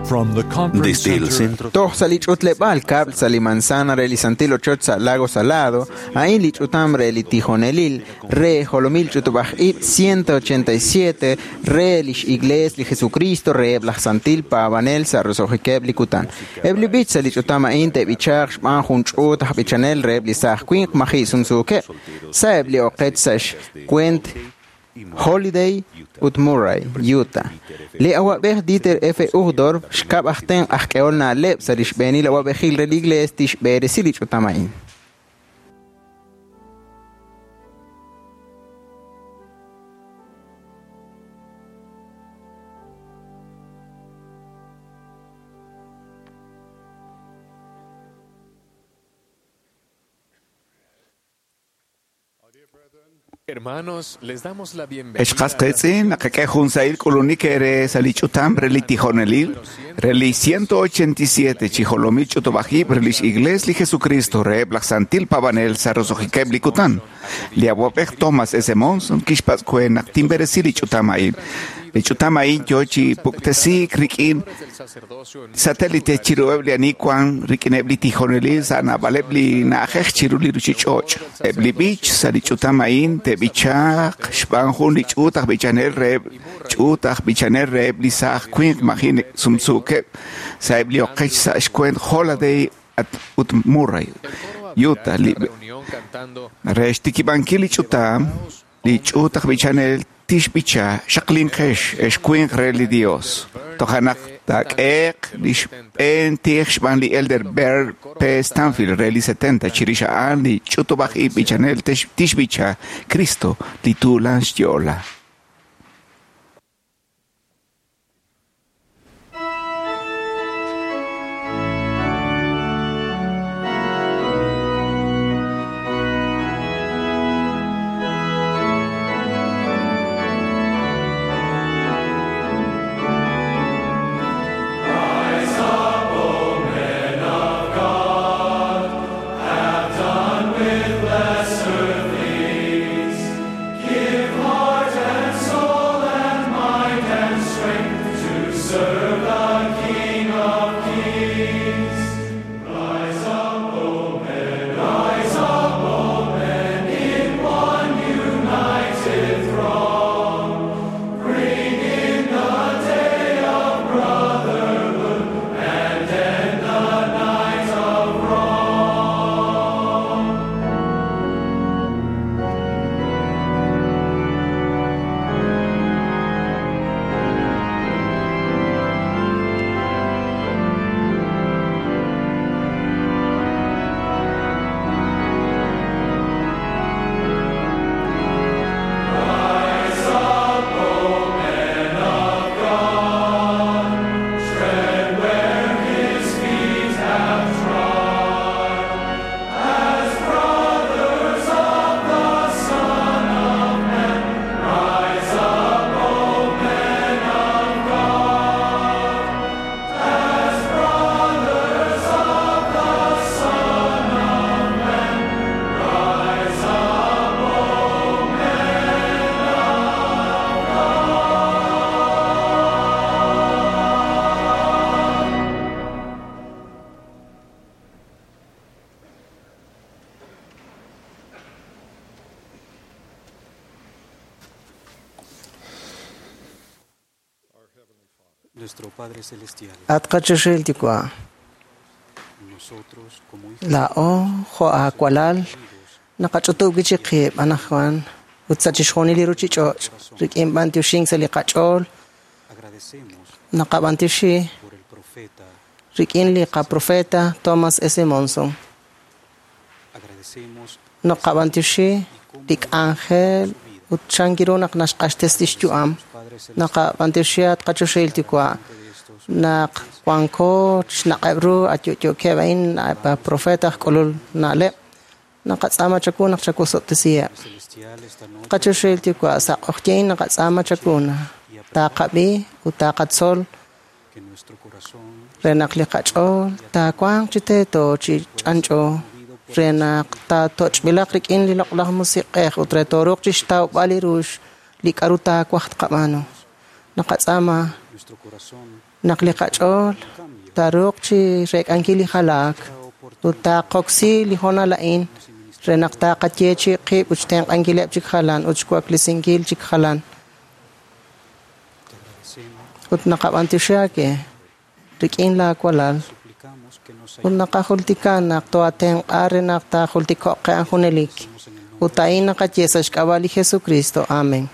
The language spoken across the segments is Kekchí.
From the conference Desde el center centro Toj sa li ch'utleb'aal kab'l sa li manzana re li santil ochoch sa Lago Salado, a'in li ch'utam re li tijonelil, re jolomil ch'utub'aj ib' 187, re lix iglees li Jesucristo re laj santil paab'anel sa roso'jikeb' li kutan. Eb' li b'ich sa li ch'utam a'in te'b'ichaaq xb'aan jun ch'uut aj b'ichanel reheb' li saaj winq maji' sumsuukeb', sa'eb' li oqech sa' xkwent Holiday ut Murray, Utah. Li awab'ej Dieter F. Uchtdorf xkab' aj tenq' aj k'ehol na'leb' sa' li xb'eenil awab'ejil re li iglees tixb'eresi li ch'utam a'in. Hermanos, les damos la bienvenida. Echqasqetz'in naqak'e jun sa'il k'ulunik ere sa li ch'utam re li tijonelil, re li 187 chijolomil ch'utub'ajib' re lix iglees li Jesucristo reheb' laj santil paab'anel sa roso'jikeb' li kutan. Li awab'ej Thomas S. Monson kixpatz' kwe naq tinb'eresi li ch'utam a'in. Li ch'utam a'in yo chi puktesiik rik'in satélite chiruheb' li ani wan rik'ineb' li tijonelil sa' naab'aleb' li na'ajej chiru li ruchich'och'. Eb' li b'ich sa' li ch'utam a'in te'b'ichaaq xb'aan jun li ch'uut aj b'ichanel reheb' ch'uut aj b'ichanel reheb' li saaj winq maji' sumsuukeb' sa'eb' li oqech sa' xkwent Holiday ut Murray, Utah. Li re xtikib'ankil li ch'utam, li ch'uut aj b'ichanel tixb'icha xaqlinqex ex winq re li Dios. Tojanaq taak'eeq li xb'een tij xb'aan li Elder Bear P. Stanfield re li 70 chirix a'an li ch'utub'aj ib' b'ichanel tixb'icha Cristo li tuulan xyo'la. Give heart and soul Nuestro Padre Celestial, At qachoxel Yuwa', nosotros como hijos laa'o jo' aakwalal naqach'utub' wi'chik qib' anajwan ut sa' chixjunil li ruchich'och' rik'in b'antioxink sa' li qach'ool agradecemos naqab'antioxi por el profeta, rik'in li qaprofeta Thomas S. Monson. agradecemos Naqab'antioxi li k'anjel ut chankiru naq naxq'axtes lix yu'am. Padre Celestial Naqab'antioxi at qachoxel Yuwa' de estos naq wanko xnaq'eb' ru ayo'yo'keb' a'in profeta aj k'ulul na'leb' naqatz'aama chaku naq chakusob'tesiheb'. Celestial esta noche Qachoxel Yuwa' sa' q'oqyin naqatz'aama chakuna taqab'i ut taqatzol que nuestro corazón re naq li qach'ool taawanq chi teeto chi ch'anch'o re naq taatoch'b'ilaq rik'in li loq'laj musiq'ej ut re tooruuq chixtawb'al li rux li k'a'ru taawaj tqab'aanu. Naqatz'aama nuestro corazón Naq li qach'ool taaruuq chi reek'ankil li jalaak ut taaqoksi li hoonal a'in re naq taaqayeechi qib' ut xtenq'ankileb' chik jalan ut xwaklesinkil chik jalan. Ut naqab'antioxi aawe rik'in laa walal ut naqajultika naq toatenq'a re naq taajultiko'q qe junelik. Ut a'in naqaye sa' xk'ab'a' li Jesucristo. Amén.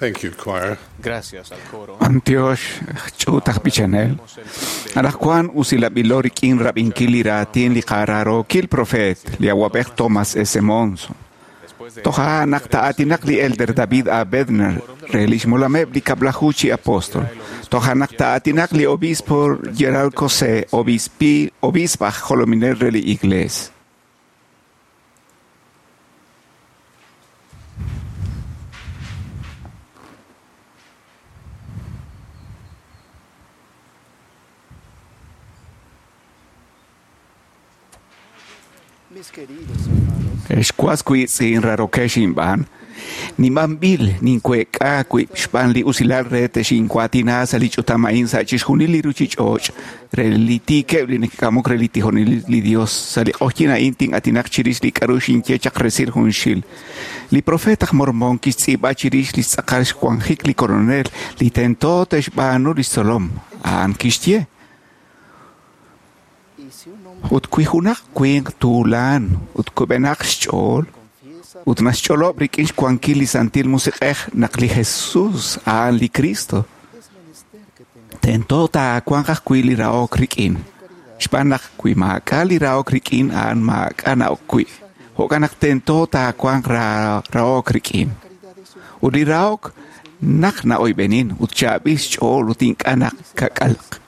Thank you, choir. Gracias al coro. Antiox, ch'utaj pichanel. Alajkuan usilab'ilo rik'in rab'inkil li raatin li qaraarookil profeet li awab'ej Thomas S. Monson. Toja' naq ta'aatinaq li elder David A. Bednar re lix molameb' li kab'laju chi apóstol. Toja' naq ta'aatinaq li obispo Gerald Cosé, obispaj jolominel re li iglees. Ex was wiitz'in raarokex inb'aan, nimanb'il ninkuek'a wib' xb'aan li usilal re texinkuaatina sa' li ch'utam a'in sa' chixjunil li ruchich'och' re li tiikeb' li neke'k'amok re li tijonelil li Dios. Sa' li q'ojyin a'in tin'atinaq chirix li k'a'ru xinye chaq resil junxil. Li profeet aj Mormon kixtz'iib'a chirix li xtz'aqal xwanjik li koronel li tento te'xb'aanu lix tzolom. A'an kixye: Ut wi junaq winq tuulan ut kub'enaq xch'ool ut naxch'olob' rik'in xwankil li Santil Musiq'ej naq li Jesus a'an li Cristo, tento taawanq ajwi' li rahok rik'in. Xb'aan naq wi maak'a' li rahok rik'in a'an maak'a' na'ok wi'. Jo'kan naq tento taawanq rahok rik'in. Ut li rahok naq na'oyb'enin ut chaab'il xch'ool ut ink'a' naq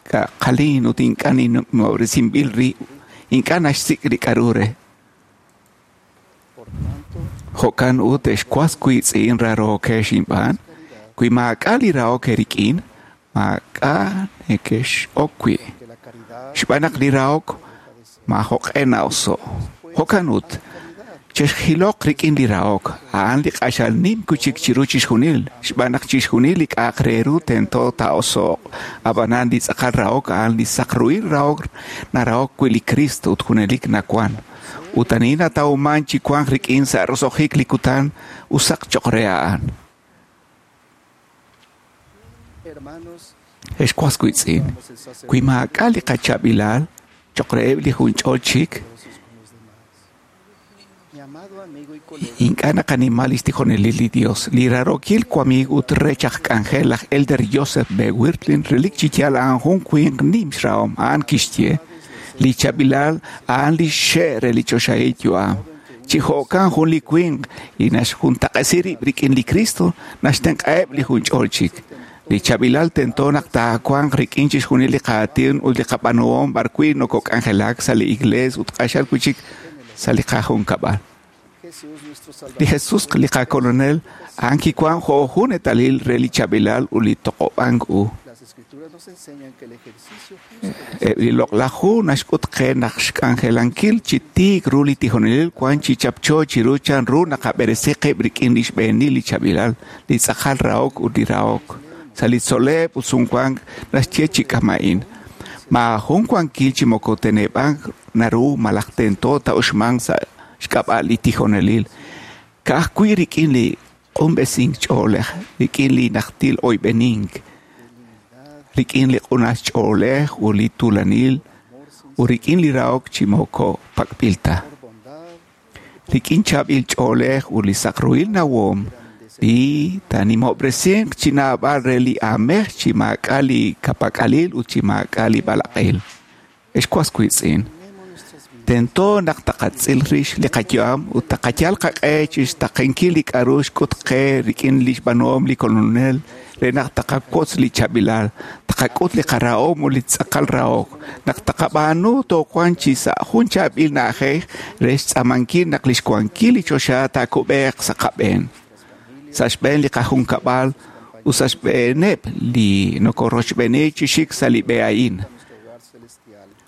kaqalin ut ink'a' nimob'resinb'il rib', ink'a' naxsik' li k'a'ru re. Jo'kan ut ex was wiitz'in raarokex inb'aan, wi maak'a' li rahok eerik'in, maak'a' nekex'ok wi'. Xb'aan naq li rahok maajoq'e na'oso'. Jo'kan ut, chexjiloq rik'in li rahok, a'an li q'axal nim kuchik chiru chixjunil, xb'aan naq chixjunil li k'a'aq re ru tento taa'oso'q. Ab'anan li tz'aqal rahok a'an li saq ruhil rahok narahok wi' li Cristo ut junelik nawan. Ut ani natawman chi wanq rik'in sa' roso'jik li kutan usaq choq' re a'an. Ex was wiitz'in, wi maak'a' li qachaab'ilal choq' reheb' li junch'ol chik, ink'a' naqanima lix tijonelil li Dios. Li raarokil wamiig ut rech aj k'anjel laj Elder Joseph B. Wirthlin relik chi yaal a'an jun winq nim xrahom. A'an kixye: Li chaab'ilal a'an li xe' re li choxahil yu'am. Chi jo'kan jun li winq li naxjuntaq'esi rib' rik'in li Cristo naxtenq'aheb' li junch'ol chik. Li chaab'ilal tento naq taawanq rik'in chixjunil li qaatin ut li qab'aanuhom b'arwi' nokok'anjelak sa' li iglees ut q'axal wi'chik sa' li qajunkab'al. Li Jesus li qakolonel a'an kiwan jo' jun eetalil re li chaab'ilal ut li toq'ob'ank u. Eb' li loq'laj hu naxk'ut qe naq xk'anjelankil chi tiik ru li tijonelil wan chi chapcho chiru chan ru naqab'eresi qib' rik'in li xb'eenil li chaab'ilal, li tz'aqal rahok ut li rahok. Sa' li tzol'leb' ut sumwank naxye chi k'ama'in: Maajun wankil chi moko teneb'ank naru malaj tento ta'uxmanq sa' xk'ab'a' li tijonelil. Ka'ajwi' rik'in li q'unb'esink ch'oolej, rik'in li najtil oyb'enink, rik'in li q'unas ch'oolej ut li tuulanil, ut rik'in li rahok chi moko pak'b'il ta. Rik'in chaab'il ch'oolej ut li saq ruhil nawom, li taanimob'resinq chi naab'al re li aamej chi maak'a' li kapak'alil ut chi maak'a' li b'alaq'il. Ex was wiitz'in, tento naq taqatz'il rix li qayu'am ut taqayal qaq'e chixtaqenkil li k'a'ru xk'ut qe rik'in li xb'aanuhom li kolonel re naq taqawotz li chaab'ilal, taqak'ut li qarahom ut li tz'aqal rahok. Naq taqab'aanu toowanq chi sa' jun chaab'il na'ajej re xtz'aamankil naq li xwankil li choxa taakub'eeq sa' qab'een, sa' xb'een li qajunkab'al ut sa' xb'eeneb' li nokorochb'eeni chi xik sa' li b'e a'in.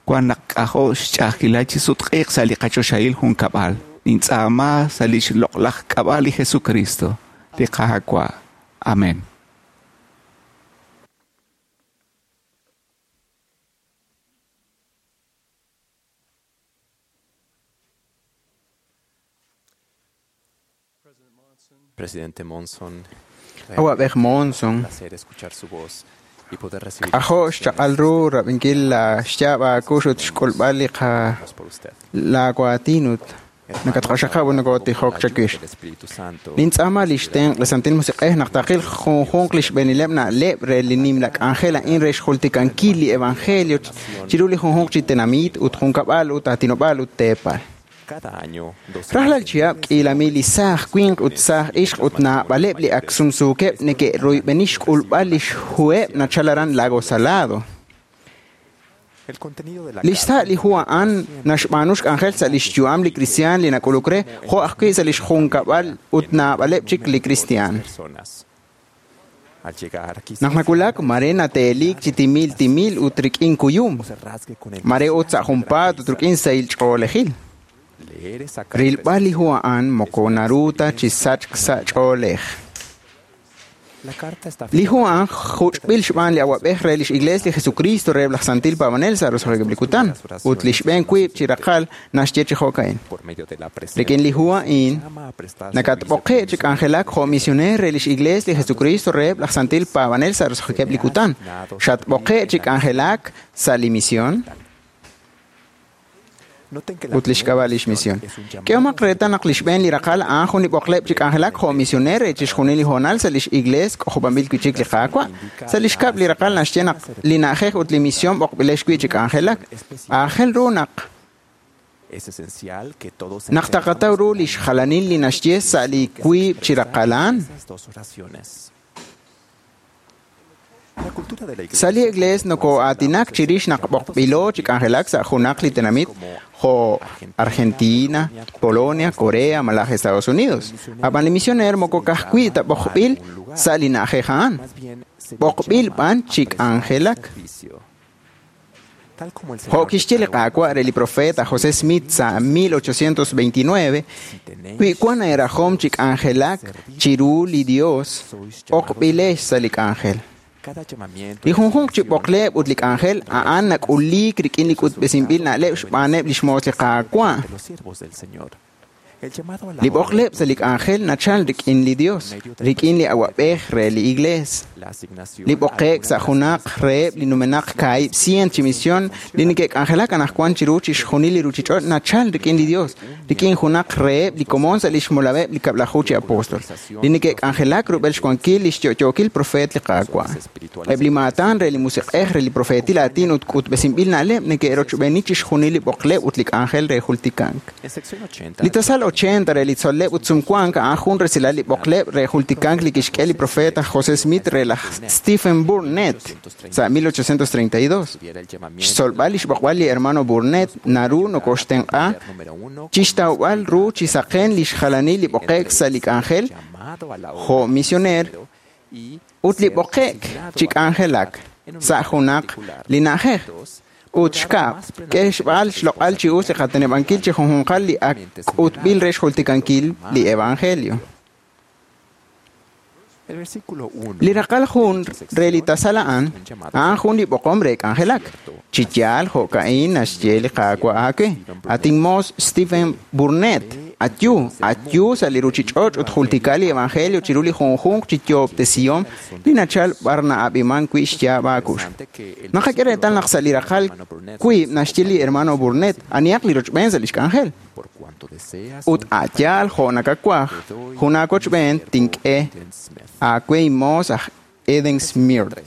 Wan naq k'ajo' xch'a'ajkilal chi sutq'iiq sa' li qachoxahil junkab'al. Nintz'aama sa' lix loq'laj k'ab'a' li Jesucristo, li Qaawa'. Amén. Presidente Monson, Awab'ej Monson, un placer escuchar su voz y poder recibir k'ajo' xchaq'al ru rab'inkil la xyaab' aakux ut xk'ulb'al li qa por usted. laawaatin ut nakatq'axaqab' ut nokotijok chawix. El Espíritu Santo Nintz'aama li xtenq' li Santil Musiq'ej naq taqil junjunq li xb'eenileb' na'leb' re li nimla k'anjel a'in re xjultikankil li evangelio chiru li junjunq chi tenamit ut junkab'al ut aatinob'aal ut teepal. cada año Rajlal chihab' k'iilamil li saaj winq ut saaj ixq ut naab'aleb' li ak sumsuukeb' neke'royb'eni xk'ulb'al li xhuheb' nachal aran Lago Salado. El contenido de la Li xsa' li hu a'an naxb'aanu xk'anjel sa' li xyu'am li kristiaan li nak'uluk re, jo' ajwi' sa' li xjunkab'al ut naab'aleb' chik li kristiaan. personas. Al llegar quizás Naq nawulak mare nateeliik chi timil timil ut rik'in kuyum, se rasgue con el mare ut sa' junpaat ut rik'in sahil ch'oolejil. Rilb'al li hu a'an moko naru ta chi sachk sa' ch'oolej. Li hu a'an juch'b'il xb'aan li awab'ej re lix Iglees li Jesucristo reheb' laj Santil Paab'anel sa' roso'jikeb' li kutan, ut li xb'een wiib' chi raqal naxye chi jo'ka'in. Rik'in li hu a'in nakatb'oqe' chi k'anjelak jo' misioneer re lix Iglees li Jesucristo reheb' laj Santil Paab'anel sa' roso'jikeb' li kutan. Xatb'oqe' chi k'anjelak sa' li misión ut lix k'ab'a' lix misión. K'ehomaq reetal naq li xb'een li raqal a'an jun li b'oqleb' chi k'anjelak jo' misioneer re chixjunil li hoonal sa' lix iglees k'ojob'anb'il wi' chik li Qaawa'. Sa' li xkab' li raqal naxye naq li na'ajej ut li misión b'oqb'ilex wi' chi k'anjelak. Aajel ru naq taqataw ru lix jalanil li naxye sa' li wiib' chi raqal a'an. Sa' li iglees noko'aatinak chirix naq b'oqb'ilo chi k'anjelak sa' junaq li tenamit jo' Argentina, Polonia, Corea malaj Estados Unidos. Ab'an li misioneer moko ka'ajwi' ta b'oqb'il sa' li na'ajej a'an, b'oqb'il b'an chi k'anjelak. Jo' kixye li Qaawa' re li profeta José Smith sa' 1829, wi wan eerajom chi k'anjelak chiru li Dios, b'oqb'ilex sa' li k'anjel. Li junjunq chi b'oqleb' ut li k'anjel a'an nak'uliik rik'in li k'utb'esinb'il na'leb' xb'aaneb' lix moos li Qaawa'. Li b'oqleb' sa' li k'anjel nachal rik'in li Dios, rik'in li awab'ej re li iglees. Li b'oqe'k sa' junaq reheb' li numenaq 200 chi misión li neke'k'anjelak anaqwan chiru chixjunil li ruuchich'och' nachal rik'in li Dios, rik'in junaq reheb' li komon sa' lix molameb' li kab'laju chi apóstol, li neke'k'anjelak rub'el xwankil lix yo'yookil profeet li Qaawa'. Eb' li maatan re li musiq'ej re li profeetil aatin ut k'utb'esinb'il na'leb' neke'rochb'eeni chixjunil li b'oqleb' ut li k'anjel re jultikank. Li tasal 80 re li tzol'leb' ut sumwank a'an jun resilal li b'oqleb' re jultikank li kixk'e li profeta José Smith re laj Stephen Burnett sa' 1832. Xtzolb'al lix b'oqb'al li hermano Burnett naru nokoxtenq'a chixtawb'al ru chi saqen lix jalanil li b'oqe'k sa' li k'anjel jo' misioneer ut li b'oqe'k chi k'anjelak sa' junaq li na'ajej. Ut xkab', k'e xb'al xloq'al chi us li qateneb'ankil chi junjunqal li ak k'utb'il re xjultikankil li evangelio. Li raqal jun re li tasal a'an, a'an jun li b'oqom re k'anjelak. Chi yaal jo'ka'in naxye li Qaawa' aawe. Atin moos Stephen Burnett, ayu, ayu sa' li ruuchich'och' ut jultika li evangelio chiru li junjunq chi yoob'tesihom li nachal b'ar na'ab'iman wi' xyaab' aakux. Naqak'e reetal naq sa' li raqal wiib' naxye li hermano Burnett anihaq li rochb'een sa' lix k'anjel. Ut a'yaal jo' nakawaj, jun aawochb'een tink'e aawe inmoos aj Eden Smith.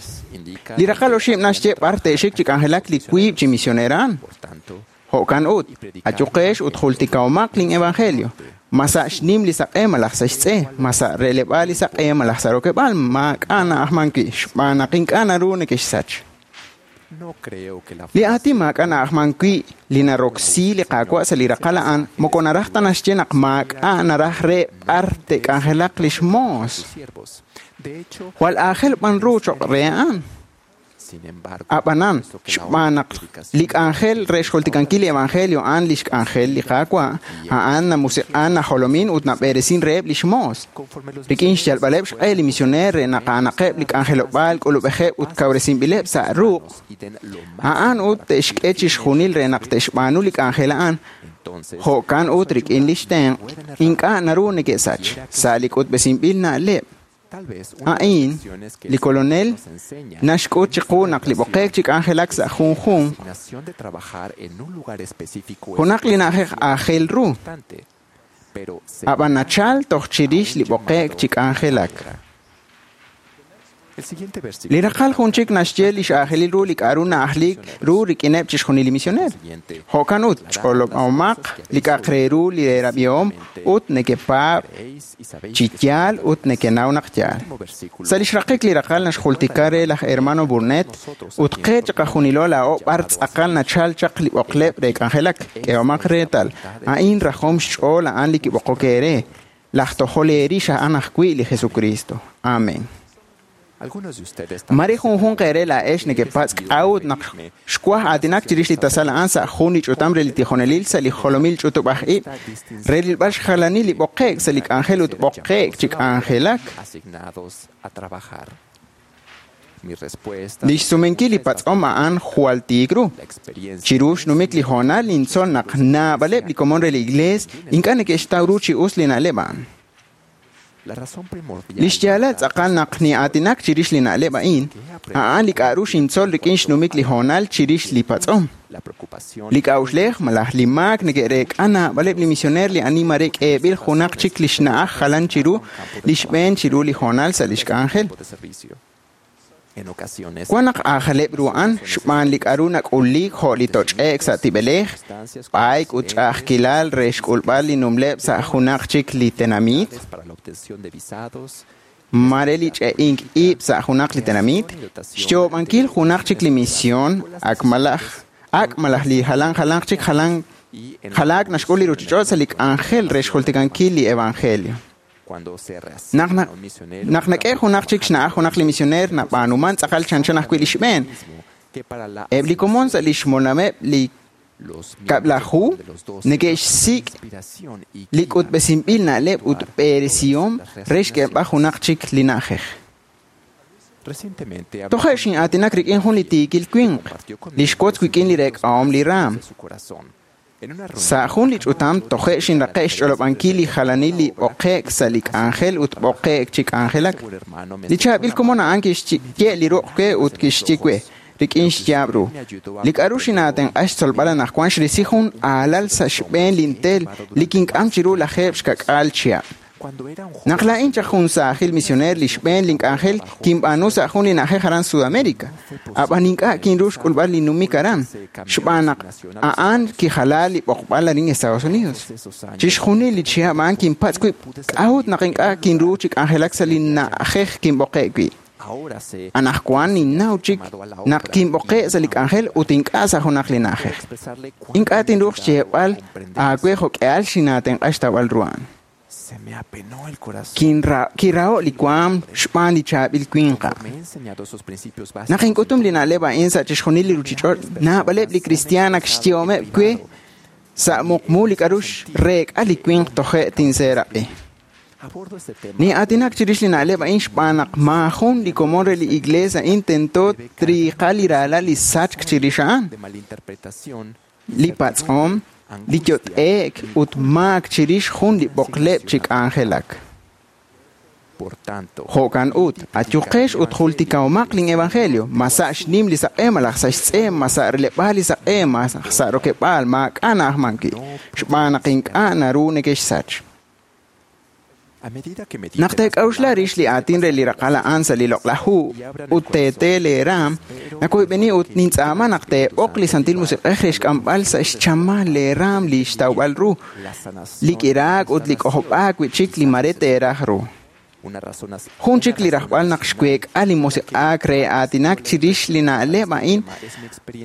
Li raqal oxib' naxye b'ar te'xik chi k'anjelak li wiib' chi misioneer a'an. Jo'kan ut, ayuqex ut jultikahomaq lin evangelio. Ma sa' xnim li saq'e malaj sa' xtz'e, ma sa' releb'aal li saq'e malaj sa' rokeb'aal, maak'a' na'ajman wi' xb'aan naq ink'a' naru neke'xsach. Li aatin maak'a' na'ajman wi' li naroksi li Qaawa' sa' li raqal a'an moko naraj ta naxye naq maak'a' naraj re b'ar te'k'anjelaq lix moos. Jwal aajel b'an ru choq' re a'an. Ab'anan, xb'aan naq li k'anjel re xjultikankil li evangelio a'an lix k'anjel li Qaawa', a'an namusiq'an najolomin ut nab'eresin reheb' lix moos. Rik'in xyalb'aleb' xq'e li misioneer re naq a'anaqeb' li k'anjelob'aal k'ulub'ejeb' ut kawresinb'ileb' sa' ruq', a'an ut te'xk'e chixjunil re naq te'xb'aanu li k'anjel a'an. Jo'kan ut rik'in lix tenq', ink'a' naru neke'sach sa' li k'utb'esinb'il na'leb'. A'in, li kolonel naxk'ut chiqu naq li b'oqe'k chi k'anjelak sa' junjunq junaq li na'ajej aajel ru, ab'an nachal toj chirix li b'oqe'k chi k'anjelak. Li raqal jun chik naxye lix aajelil ru li k'a'ru na'ajlik ru rik'ineb' chixjunil li misioneer. Jo'kan ut, ch'olob'ahomaq li k'a'aq re ru li eerab'ihom ut nekepaab' chi yaal ut nekenaw naq yaal. Sa' lix raqik li raqal naxjultika re laj hermano Burnett ut qe chiqajunilo laa'o b'ar tz'aqal nachal chaq li b'oqleb' re k'anjelak. K'ehomaq reetal, a'in rajom xch'ool a'an li kib'oqok eere. Laj tojol eerix a'an ajwi' li Jesucristo. Amén. Mare junjunq eere laa'ex nekepatz' k'a'ut naq xwaj aatinak chirix li tasal a'an sa' jun li ch'utam re li tijonelil sa' li jolomil ch'utub'aj ib' re rilb'al xjalanil li b'oqe'k sa' li k'anjel ut b'oqe'k chi k'anjelak. Lix sumenkil li patz'om a'an jwal tiik ru. Chiru xnumik li hoonal nintzol naq naab'aleb' li komon re li Iglees ink'a' neke'xtaw ru chi us li na'leb' a'an. Lix yaalal tz'aqal naq ni'aatinak chirix li na'leb' a'in, a'an li k'a'ru xintzol rik'in xnumik li hoonal chirix li patz'om. Li k'a'uxlej malaj li maak neke'reek'a naab'aleb' li misioneer li ani mare k'eeb'il junaq chik li xna'aj jalan chiru li xb'een chiru li hoonal sa' lix k'anjel. Wan naq aajaleb' ru a'an xb'aan li k'a'ru nak'uliik jo' li toch'e'k sa' tib'elej, b'ayk ut ch'a'ajkilal re xk'ulb'al li numleb' sa' junaq chik li tenamit, mare li ch'e'ink ib' sa' junaq li tenamit, xyoob'ankil junaq chik li mision, ak malaj li jalan jalanq chik jalaak naxk'ul li ruchich'och' sa' li k'anjel re xjultikankil li evangelio. Naq nak'e junaq chik xna'aj junaq li misioneer nab'aanuman tz'aqal chanchan ajwi' li xb'een. Eb' li komon sa' li xmolameb' li kab'laju neke'xsik' li k'utb'esinb'il na'leb' ut b'eresihom re xk'eeb'al junaq chik li na'ajej. Toje' xin'aatinak rik'in jun li tiikil winq, li xwotz wik'in li reek'ahom li raam. Sa' jun li ch'utam toje' xinraqe' xch'olob'ankil li jalanil li b'oqe'k sa' li k'anjel ut b'oqe'k chi k'anjelak. Li chaab'il komon a'an kixye' li ruq' we ut kixye we rik'in xyaab' ru. Li k'a'ru xinaatenq'a xtzolb'al anaqwan xrisi jun aalal sa' xb'een lintel li kink'am chiru lajeeb' xkak'aal chihab'. Naq laa'in chaq jun saajil misioneer li xb'een link'anjel kinb'aanu sa' jun li na'ajej aran Sudamérica. Ab'an ink'a' kinru xk'ulb'al li numik aran, xb'aan naq a'an kijala li b'oqb'al arin Estados Unidos. Chixjunil li chihab' a'an kinpatz' wib' k'a'ut naq ink'a' kinru chi k'anjelak sa' li na'ajej kinb'oqe' wi'. Anaqwan ninnaw chik naq kinb'oqe' sa' li k'anjel ut ink'a' sa' junaq li na'ajej. Ink'a' tinruuq xyeeb'al aawe jo'k'ehal xinaatenq'a xtawb'al ru a'an. Kiraho' li waam xb'aan li chaab'il winq a'an. Naq ink'utum li na'leb' a'in sa' chixjunil li ruchich'och', naab'aleb' li kristiaan ak xyehomeb' we sa' muqmu li k'a'ru xreek'a li winq toje' tinseeraq'i. Ni'aatinak chirix li na'leb' a'in xb'aan naq maajun li komon re li Iglees a'in tento triiqa li raalal li sachk chirix a'an. Li patz'om, li yot'e'k ut maak chirix jun li b'oqleb' chi k'anjelak. Jo'kan ut, ayuqex ut jultikahomaq lin evangelio, ma sa' xnim li saq'e malaj sa' xtz'e, ma sa' releb'aal li saq'e, ma sa' rokeb'aal, maak'a' na'ajman wi', xb'aan naq ink'a' naru neke'xsach. Naq teek'a'uxla rix li aatin re li raqal a'an sa' li loq'laj hu ut teetee leeraam, nakoyb'eni ut nintz'aama naq teeb'oq li Santil Musiq'ej re xk'amb'al sa' xchamal leeraam li xtawb'al ru, li k'iraak ut li k'ojob'aak wi'chik li mare teeraj ru. Jun chik li rajb'al naq xweek'a li musiq'aak re aatinak chirix li na'leb' a'in,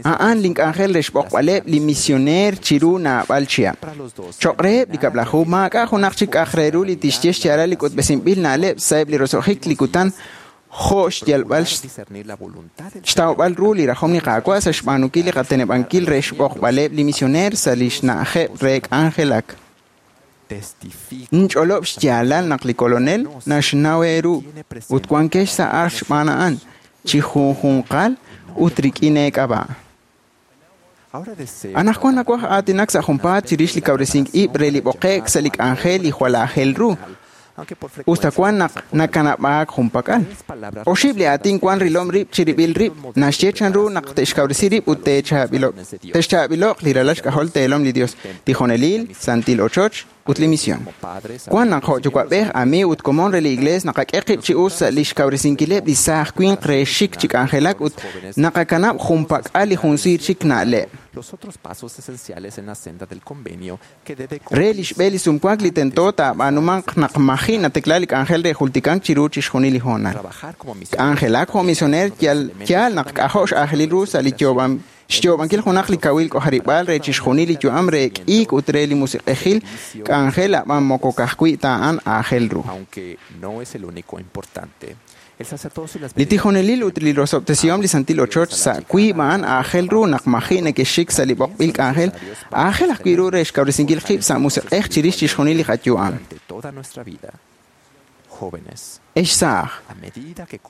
a'an link'anjel re xb'oqb'aleb' li misioneer chiru naab'al chihab'. Choq' reheb' li kab'laju maak'a' junaq chik k'a'aq re ru li tixye xyaalal li k'utb'esinb'il na'leb' sa'eb' li roso'jik li kutan jo' xyalb'al xtawb'al ru li rajom li Qaawa' sa' xb'aanunkil li qateneb'ankil re xb'oqb'aleb' li misioneer sa' li xna'ajeb' re k'anjelak. Ninch'olob' xyaalal naq li kolonel naxnaw eeru ut wankex sa' ajl xb'aan a'an chi junjunqal ut rik'in eek'ab'a'. Anaqwan nawaj aatinak sa' junpaat chirix li kawresink ib' re li b'oqe'k sa' li k'anjel li jwal aajel ru. Usta wan naq nakanab'aak junpak'al. Oxib' li aatin wan rilom rib' chirib'il rib' naxye chanru naq te'xkawresi rib' ut te'xchaab'ilo'q li ralal xk'ajol teelom li Dios, tijonelil, santil ochoch ut li misión. Wan naq jo' yuwa'b'ej, amiiw ut komon re li Iglees naqak'e qib' chi us sa' li xkawresinkileb' li saaj winq re xik chi k'anjelak ut naqakanab' junpak'al li junsiir chik na'leb'. Re li xb'e li sumwank li tento taab'aanumanq naq maji' natekla li k'anjel re jultikank chiru chixjunil li hoonal. K'anjelak jo' misioneer yaal naq k'ajo' x'aajelil ru sa' li xyoob'ankil junaq li kawil k'ojarib'aal re chixjunil li yu'am re k'iik ut re li musiq'ejil k'anjel ab'an moko ka'ajwi' ta a'an aajel ru. Li tijonelil ut li rosob'tesihom li santil ochoch sa' wiib' a'an aajel ru naq maji' neke'xik sa' li b'oqb'il k'anjel, aajel ajwi' ru re xkawresinkil qib' sa' musiq'ej chirix chixjunil li qayu'am. Ex saaj,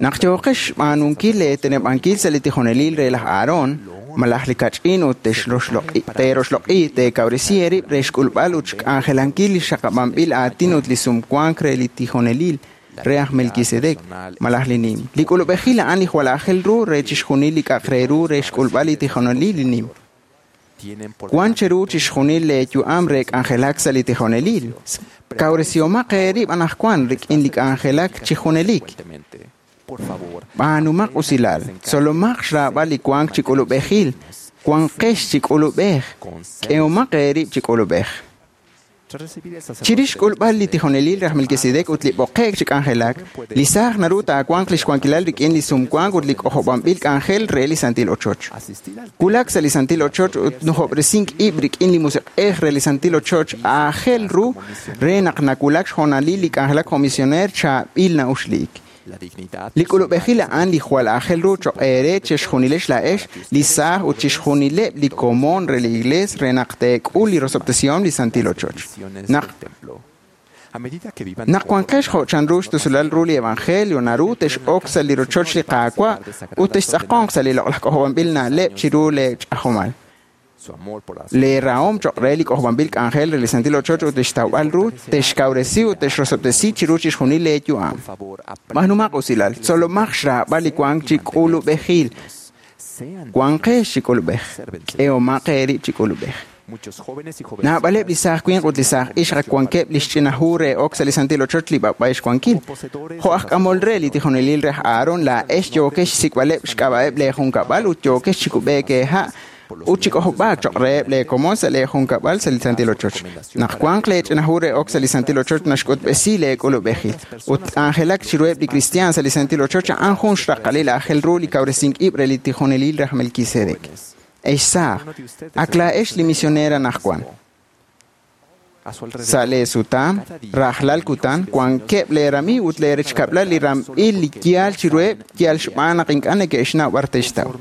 naq yooqex xb'aanunkil leeteneb'ankil sa' li tijonelil re laj Aarón, malaj li kach'in ut teeroxloq'i teekawresi eerib' re xk'ulb'al ut xk'anjelankil li xaqab'anb'il aatin ut li sumwank re li tijonelil re aj Melquisedec, malaj li nim. Li k'ulub'ejil a'an li jwal aajel ru re chixjunil li k'a'aq re ru re xk'ulb'al li tijonelil li nim. Wan cheru chixjunil leeyu'am re k'anjelak sa' li tijonelil. Kawresihomaq eerib' anaqwan rik'in li k'anjelak chi junelik. B'aanumaq usilal, tzolomaq xraab'al li wank chi k'ulub'ejil, wanqex chi k'ulub'ej, k'ehomaq eerib' chi k'ulub'ej. Chirix xk'ulb'al li tijonelil re aj Melquisedec ut li b'oqe'k chi k'anjelak, li saaj naru taawanq li xwankilal rik'in li sumwank ut li k'ojob'anb'il k'anjel re li santil ochoch. Wulak sa' li santil ochoch ut nujob'resink ib' rik'in li musiq'ej re li santil ochoch aajel ru re naq nawulak xhoonalil li k'anjelak jo' misioneer chaab'il na'uxliik. Li k'ulub'ejil a'an li jwal aajel ru choq' eere chixjunilex laa'ex li saaj ut chixjunileb' li komon re li iglees re naq teek'ul li rosob'tesihom li santil ochoch. Naq wanqex jo' chanru xtusulal ru li evangelio naru tex'ok sa' li rochoch li Qaawa' ut textz'aqonq sa' li loq'laj k'ojob'anb'il na'leb' chiru leech'ajomal. Leerahom choq' re li k'ojob'anb'il k'anjel re li santil ochoch ut lix tawb'al ru texkawresi ut texrosob'tesi chiru chixjunil leeyu'am. B'aanumaq usilal, tzolomaq xraab'al li wank chi k'ulub'ejil. Wanqex chi k'ulub'ej, k'ehomaq eerib' chi k'ulub'ej. Naab'aleb' li saaj winq ut li saaj ixq ak wankeb' li xch'ina hu re ok sa' li santil ochoch li b'ab'ay xwankil. Jo' aj k'amol re li tijonelil re aj Aarón laa'ex yookex xsik'b'aleb' xk'ab'a'eb' leejunkab'al ut yookex chi kub'eek eeha' ut chi k'ojob'aak choq' reheb' leekomon sa' leejunkab'al sa' li santil ochoch. Naq wanq leech'ina hu re ok sa' li santil ochoch naxk'utb'esi leek'ulub'ejil. Ut k'anjelak chiruheb' li kristiaan sa' li santil ochoch a'an jun xraqalil aajel ru li kawresink ib' re li tijonelil re aj Melquisedec. Ex saaj, ak laa'ex li misioneer anaqwan. Sa' leesutam, rajlal kutan, wankeb' leeramiiw ut leerechkab'lal li ramb'il li yaal chiruheb' yal xb'aan naq ink'a' neke'xnaw b'ar te'xtaw.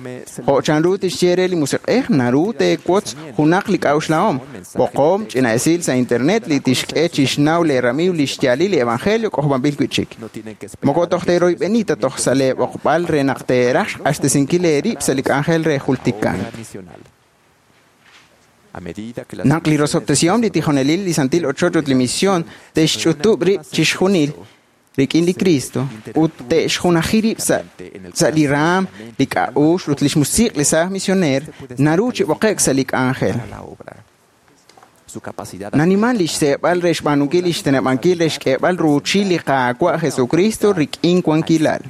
Jo' chanru tixye re li musiq'ej naru teewotz junaq li k'a'uxlahom, b'oqom, ch'ina esil sa' internet li tixk'e chixnaw leeramiiw li xyaalil li evangelio k'ojob'anb'il wi'chik. Moko toj teeroyb'eni ta toj sa' leeb'oqb'al re naq teeraj xq'axtesinkil eerib' sa' li k'anjel re jultikank. Naq li rosob'tesihom li tijonelil li santil ochoch ut li misión te'xch'utub' rib' chixjunil rik'in li Cristo ut te'xjunaji rib' sa' li raam, li k'a'uxl ut li xmusiq' li saaj misioneer naru chi b'oqe'k sa' li k'anjel. Naniman li xseeb'al re xb'aanunkil li xteneb'ankil re xk'eeb'al ruuchil li Qaawa' Jesucristo rik'in wankilal.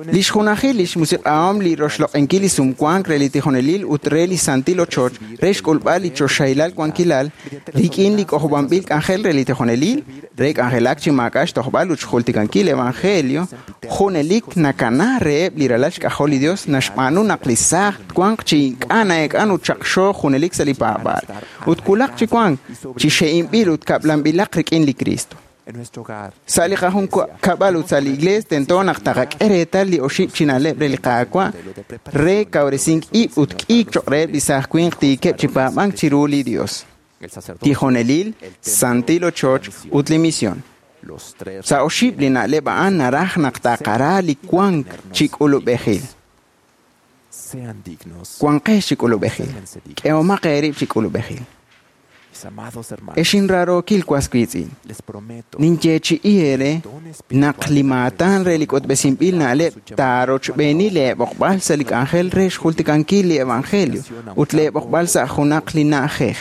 Li xjunajil li xmusiq'ahom li roxloq'inkil li sumwank re li tijonelil ut re li santil ochoch re xk'ulb'al li choxahilal wankilal rik'in li k'ojob'anb'il k'anjel re li tijonelil re k'anjelak chi maak'a' xtojb'al ut xjultikankil evangelio junelik nakana reheb' li ralal xk'ajol li Dios naxb'aanu naq li saaj twanq chi ink'a' na'eek'an ut xaqxo junelik sa' li paab'aal ut wulaq chi wank chi xe'inb'il ut kab'lanb'ilaq rik'in li Cristo. Sa' li qajunkab'al ut sa' li iglees tento naq taqak'e reetal li oxib' chi na'leb' re li Qaawa' re kawresink ib' ut k'iik choq' reheb' li saaj winq tiikeb' chi paab'ank chiru li Dios. Tijonelil, santil ochoch ut li misión. Sa' oxib' li na'leb' a'an naraj naq taqara li wank chi k'ulub'ejil. Wanqex chi k'ulub'ejil. K'ehomaq eerib' chi k'ulub'ejil. Ex inraarookil was wiitz'in, ninyeechi'i eere naq li maatan re li k'utb'esinb'il na'leb' taarochb'eeni leeb'oqb'al sa' li k'anjel re xjultikankil li evangelio ut leeb'oqb'al sa' junaq li na'ajej.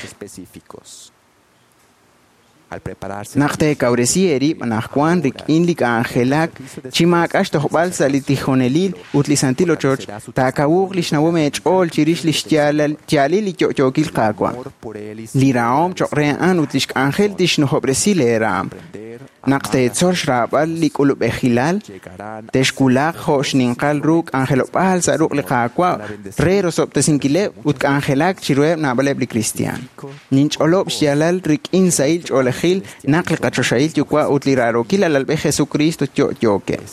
Naq teekawresi eerib' anaqwan rik'in li k'anjelak chi maak'a' xtojb'al sa' li tijonelil ut li santil ochoch, taakawuq li xnawom eech'ool chirix li xyaalil li yo'yookil Qaawa'. Li rahom choq' re a'an ut li xk'anjel tixnujob'resi leeraam. Naq teetzol xraab'al li k'ulub'ejilal, texwulaq jo' xninqal ru k'anjelob'aal sa' ruq' li Qaawa' re rosob'tesinkileb' ut k'anjelak chiruheb' naab'aleb' li kristiaan. Ninch'olob' xyaalal rik'in sahil ch'oolejil naq li qachoxahil Yuwa' ut li raarookil alalb'ej Jesucristo yo'yookeb'.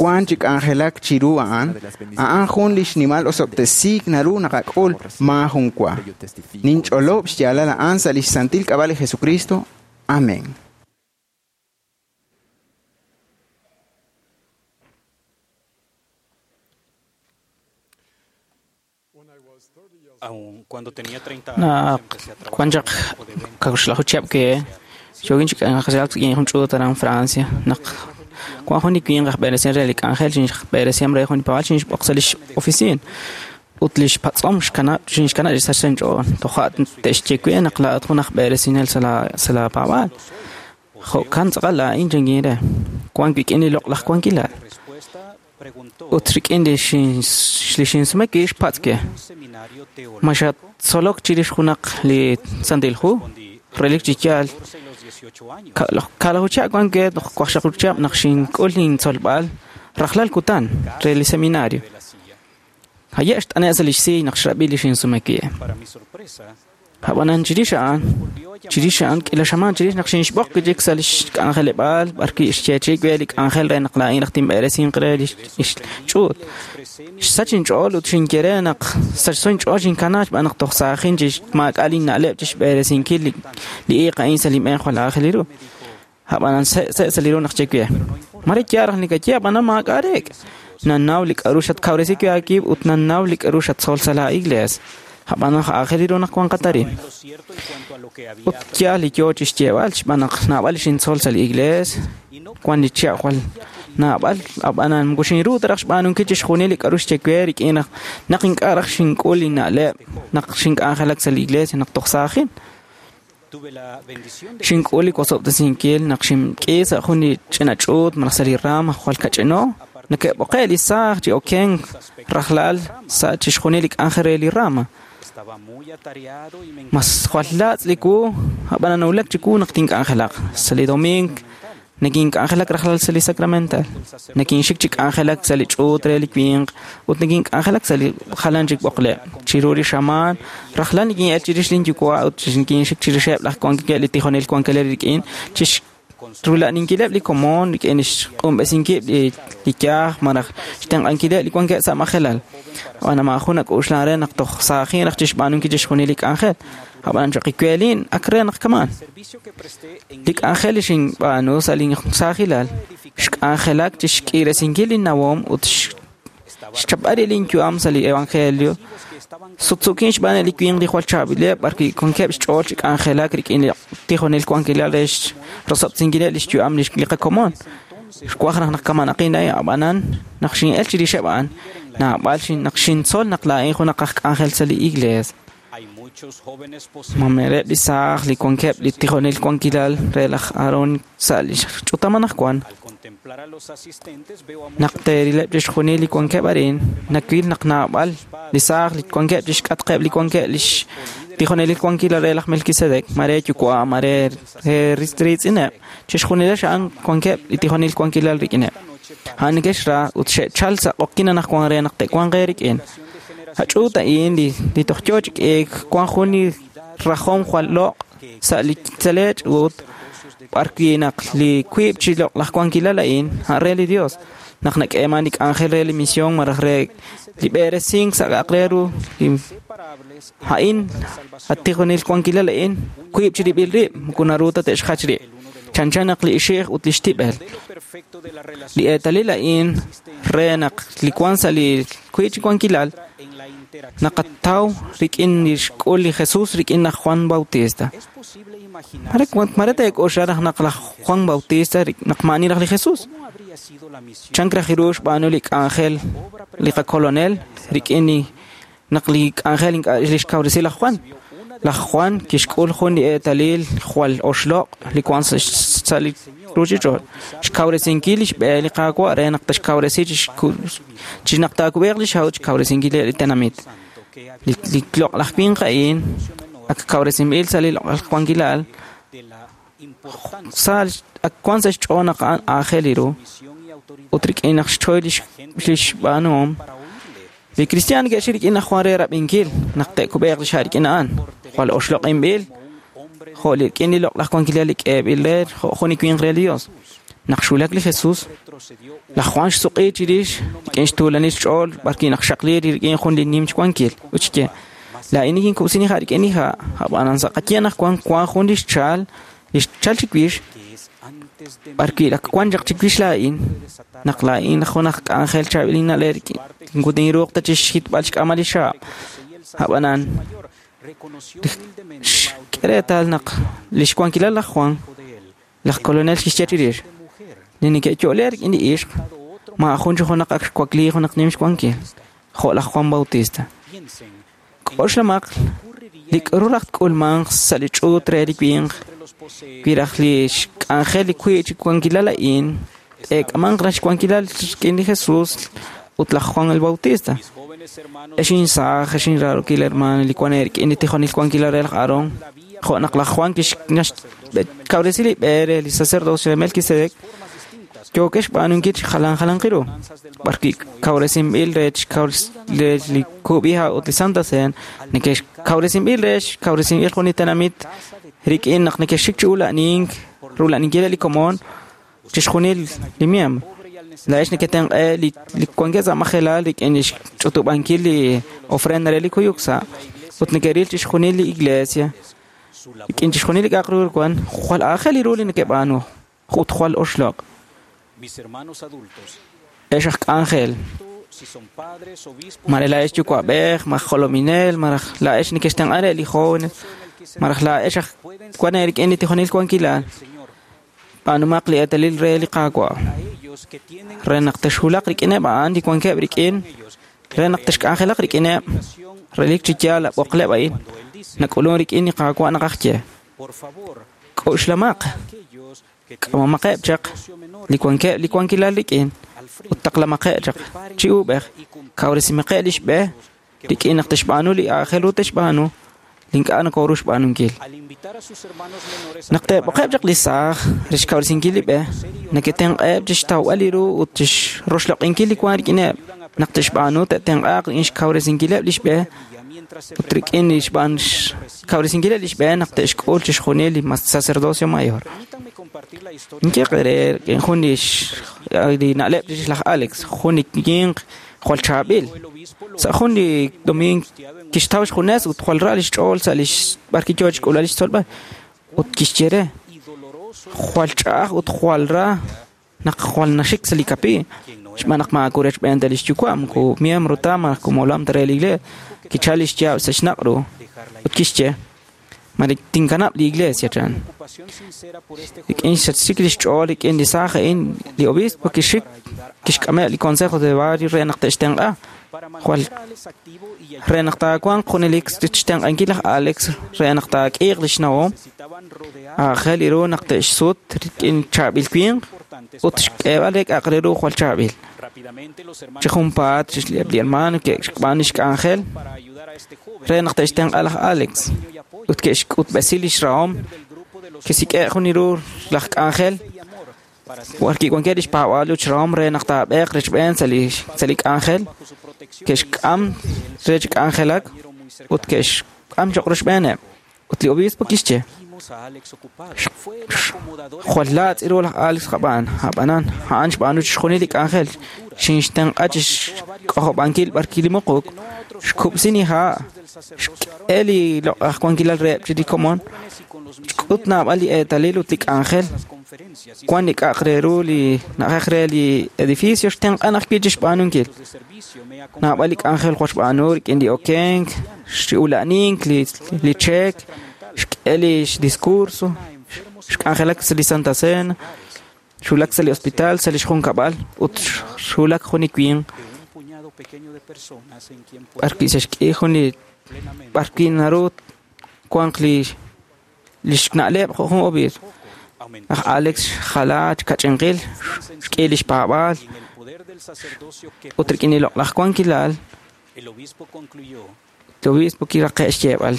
Wank chi k'anjelak chiru a'an, a'an jun li xnimal osob'tesiik naru naqak'ul maajun wa. Ninch'olob' xyaalal a'an sa' lix santil k'ab'a' li Jesucristo. Amén. Aun cuando tenía 30 años, Naq empecé a trabajar wan chaq en un grupo de ventas ka'uxlaju chihab' ke yookin chi k'anjelak rik'in jun ch'uut aran Francia naq wan jun li winq aj b'eresin re li k'anjel xinxb'eresihom re jun li paab'aal xinxb'oq sa' lix oficina ut lix patz'om xkanab' xinxkanab' chi sachso inch'ool toja' te'xye we naq laa'at jun aj b'eresinel sa' la sa' la paab'aal jo'kan tz'aqal laa'in chankin re wan wik'in li loq'laj wankilal respuesta preguntó ut rik'in li xin li xinsume wi' xpatz' we un seminario ma teológico xattzolok chirix junaq li Santil Hu relik chi yaal 14 y los 18 años. Ka'laju chihab' wan we toj waqxaqlaju chihab' naq xink'ul intzolb'al rajlal kutan re li seminario de la silla. haye' xt'ane' sa' lix siiy naq xrab'i li xinsume wi'. Para mi sorpresa, Ab'anan chirix a'an volvió a llamar chirix a'an k'ila xamaan chirix naq xinxb'oq wi' sa' lix k'anjeleb'aal b'ar wi' xyeechi'i we li k'anjel re naq laa'in raj tinb'eresinq re lix lix ch'uut. le expresé mi Xsach inch'ool ut xinye re naq sachso inch'ool xinkana xb'aan naq toj saajin chi maak'a' linna'leb' chi xb'eresinkil li li iiq a'in sa' linb'een jwal aajel ru. Ab'anan se' se' sa' li ru naq xye we. Mare yaal raj nikaye ab'anan maak'a' reek'. Nannaw li k'a'ru xatkawresi wi' aawib' ut nannaw li k'a'ru xatzol sa' la iglees. Ab'anan aajel ru naq wanqat arin. en lo cierto en cuanto a lo que había Ut yaal li yoo chi xyeeb'al xb'aan naq naab'al li xintzol sa' li iglees wan li chihab' jwal naab'al ab'anan moko xinru ta raj xb'aanunkil chixjunil li k'a'ru xye we rik'in naq naq ink'a' raj xink'ul linna'leb' naq xink'anjelak sa' li iglesia naq toj saajin. Tuve la bendición de Xink'ul li wosob'tesinkil naq xink'i sa' jun li ch'ina ch'uut malaj sa' li rama jwal kach'ino neke'b'oqe' li saaj chi okenk rajlal sa' chixjunil li k'anjel re li rama. estaba muy atareado y me Mas jwal laatz' li wu ab'anan nawulak chiwu naq tink'anjelaq sa' li domingo nekink'anjelak rajlal sa' li sacramental nekinxik chi k'anjelak sa' li ch'uut re li winq ut nekink'anjelak sa' li jalan chik b'oqleb' chiru li xamaan rajlal nikin'el chirix linyuwa' ut nikinxik chirixeb' laj wankileb' li tijonel wankeleb' rik'in chix rula'ninkileb' li komon rik'in xq'unb'esinkib' li li yaaj malaj xtenq'ankileb' li wankeb' sa' majelal ab'an maajun nak'uxlan re naq toj saajin raj chixb'aanunkil chixjunil li k'anjel ab'anan choq iweelin ak re naq kamaan servicio que presté en li k'anjel li xinb'aanu sa' lin saajilal xk'anjelak chi xk'iresinkil linnawom ut xchapb'al linyu'am sa' li evangelio que estaban sutsukin xb'aan li winq li jwal chaab'ileb' b'ar wi' wankeb' xch'ool chi k'anjelak rik'in li tijonel wankilal re rosob'sinkileb' lix yu'am li li qakomon xwaj raj naq kamanaqin laa'in ab'anan naq xin'el chirixeb' a'an naab'al xin naq xintzol naq laa'in junaq aj k'anjel sa' li iglees hay muchos jóvenes poseedores mamereb' li saaj li wankeb' li tijonel wankilal re laj Aarón sa' li ch'utam anaqwan Al contemplar a los asistentes veo a naq muchos teerileb' chixjunil li wankeb' arin nawil naq naab'al li saaj li wankeb' chixk'atqeb' li wankeb' lix tijonelil wankilal re laj Melquisedec mare yuwa' mare re riitz'ineb' chixjunileb' a'an wankeb' li tijonel wankilal rik'ineb' a'an neke'xra ut xe'chal sa' q'oqyin anaqwan re naq te'wanq eerik'in Ach'uut a'in li li toj yoo chi k'iik wan jun li rajom jwal loq' sa' li tzeleech ut b'ar wi' naq li wiib' chi loq'laj wankilal a'in a'an re li Dios naq nak'eeman li k'anjel re li misión malaj re li b'eresink sa' k'a'aq re ru li separables a'in at tijonel wankilal a'in wiib' chirib'il rib' moko naru ta te'xjach rib' chanchan naq li ixi'j ut li xtib'el modelo perfecto de la relación li eetalil a'in re naq li wan sa' li wiib' chi wankilal en la interacción naqataw rik'in li xk'ul li Jesús rik'in laj Juan Bautista. es posible imaginar Mare mare teek'oxla raj naq laj Juan Bautista naq maani raj li Jesús. cómo habría sido la misión Chan raj ru xb'aanu li k'anjel li qakolonel rik'in li naq li k'anjel ink'a' li xkawresi laj Juan. Laj Juan kixk'ul jun li eetalil jwal oxloq' li wan sa' sa' li ruuchich'och'. Xkawresinkil li xb'e li Qaawa' re naq taxkawresi chi chi naq taakub'eeq li xaw xkawresinkil li tenamit. santo que Li li loq'laj winq a'in ak kawresinb'il sa' li loq'laj wankilal de la Sa ak wan sa xch'ool naq a'an aajel ru ut rik'in naq xchoy lix xb'aanuhom. Li kristiaan ke'xik rik'in laj Juan re rab'inkil naq te'kub'eeq li xa' rik'in a'an. Jwal oxloq'inb'il jo' li rik'in li loq'laj wankilal li k'eeb'il re jo' jun li winq re li Dios. Naq xwulak li Jesús, laj Juan xsuq'i chirix rik'in xtuulanil xch'ool b'arwi' naq xaqli rik'in jun li nim xwankil. Ut xye, laa'in nikinkub'sin li ha' rik'in li ha', ab'anan sa' qaye naq wan jun li xchal chiwix b'arwi' ak wan chaq chiwix laa'in, naq laa'in jun aj k'anjel chaab'il inna'leb' rik'in tinruuq ta chixjitb'al xk'amal li xaab'. Ab'anan xk'e reetal naq li xwankilal laj Juan, laj kolonel kixye chirix, li neke'yo'le rik'in li ixq, maajun chi junaq ak xwakli junaq nim xwankil, jo' laj Juan Bautista. K'oxlamaq li k'aru raj tk'ulmanq sa' li ch'uut re li winq, wi raj li xk'anjel li wiib' chi wankilal a'in, te'k'amanq raj xwankilal rik'in li Jesús ut laj Juan el Bautista. Ex insaaj, ex inraarokil hermano, li wan rik'in li tijonil wankilal re laj Aarón, jo' naq laj Juan kixkawresi li b'e re li sacerdocio re Melquisedec, yookex xb'aanunkil chi jalan jalanq ru. B'arwi' kawresinb'il re li kub'iha ut li Santa Cena, neke'xkawresinb'il re xkawresinb'il jun li tenamit rik'in naq neke'xik chi ula'nink, rula'ninkil li komon, chixjunil li miembro. Laa'ex neketenq'e li wankeb' sa' majelal rik'in li xch'utub'ankil li ofrenda re li kuyuk sa' ut neke'ril chixjunil li iglesia rik'in chixjunil li k'a'aq ru wan jwal aajel ru li neke'b'aanu ut jwal oxloq'. Ex aj k'anjel, mare laa'ex yuwa'b'ej, maj jolominel, maraj laa'ex neke'xtenq'a re li jóvenes, maraj laa'ex aj wan rik'in li tijonil wankilal, b'aanumaq li eetalil re li Qaawa'. Re naq texwulaq rik'ineb' a'an li wankeb' rik'in, re naq texk'anjelaq rik'ineb', relik chi yaal ab'oqleb' a'in, nak'ulun rik'in li Qaawa' naq aj ye. K'oxlamaq, k'amamaqeb' chaq li wankeb' li wankilal rik'in, ut taqlamaqeb' chaq chi uub'ej, kawresimaqeb' li xb'e rik'in naq texb'aanu li aajel ru texb'aanu, li ink'a' nokoru xb'aanunkil. Naq te'b'oqeb' chaq li saaj re xkawresinkil li b'e, neke'tenq'eb' chixtawb'al li ru ut chixroxloq'inkil li wan rik'ineb'. Naq te'xb'aanu te'tenq'aaq rik'in xkawresinkileb' li xb'e ut rik'in li xkawresinkileb' li xb'e naq te'xk'ul chixjunil li sacerdocio mayor. Inyeq re rik'in jun li na'leb' chirix laj Alex, jun li winq jwal chaab'il. Sa' jun li domingo kixtaw xjunes ut jwal ra li xch'ool sa' li b'arwi' yoo chixk'ulb'al li xtzolb'al ut kixye re jwal ch'a'aj ut jwal ra naq jwal naxik sa' li kapi xb'aan naq maakure xb'een ta li xyuwa' moko miembro ta malaj molam ta re li iglesia. Kichal li xyaab' sa' xnaq' ru ut kixye mare tinkanab' li iglesia chan. Rik'in xsachik li xch'ool rik'in li saaj a'in li obispo kixik kixk'ameb' li consejo de barrio re naq te'xtenq'a. Jwal re naq taawanq junelik xtenq'ankil laj Alex re naq taak'iiq li xnawom, aajel ru naq te'xsut rik'in chaab'il winq ut xk'eeb'al re k'a'aq re ru jwal chaab'il. Chi junpaat li hermano ke'xb'aan li xk'anjel re naq te'xtenq'a laj Alex ut ke'xk'utb'esi li xrahom, kisik'e' jun li ru laj k'anjel b'arwi' wankeb' li xpaab'aal ut xrahom re naq taab'eeq rechb'een sa' li k'anjel, ke'xk'am re chi k'anjelak ut ke'xk'am choq' rochb'eeneb'. Ut li obispo kixye, jwal laatz' ru laj Alex qab'aan, ab'anan a'an xb'aanu chixjunil li k'anjel, xinxtenq'a chixk'ojob'ankil b'arwi' li muquk, xkub'sin li ha', xk'e li loq'aj wankilal reheb' chi li komon, xk'ut naab'al li eetalil ut li k'anjel, wan li k'a'aq re ru li na'ajej re li edificio xtenq'an ajwi' chixb'aanunkil. Naab'al li k'anjel jwal xb'aanu rik'in li okenk, xula'nink, li cheek, xk'e li xdiscurso, xk'anjelak sa' li Santa Cena, xulak sa' li hospital, sa' li xjunkab'al ut xulak jun li winq b'arwi' sa' xk'i jun li b'arwi' naru wanq li xna'leb' jo' jun obispo. Laj Alex xjala kach'inqil, xk'i li xpaab'aal ut rik'in li loq'laj wankilal, li obispo kiraqe' xyeeb'al.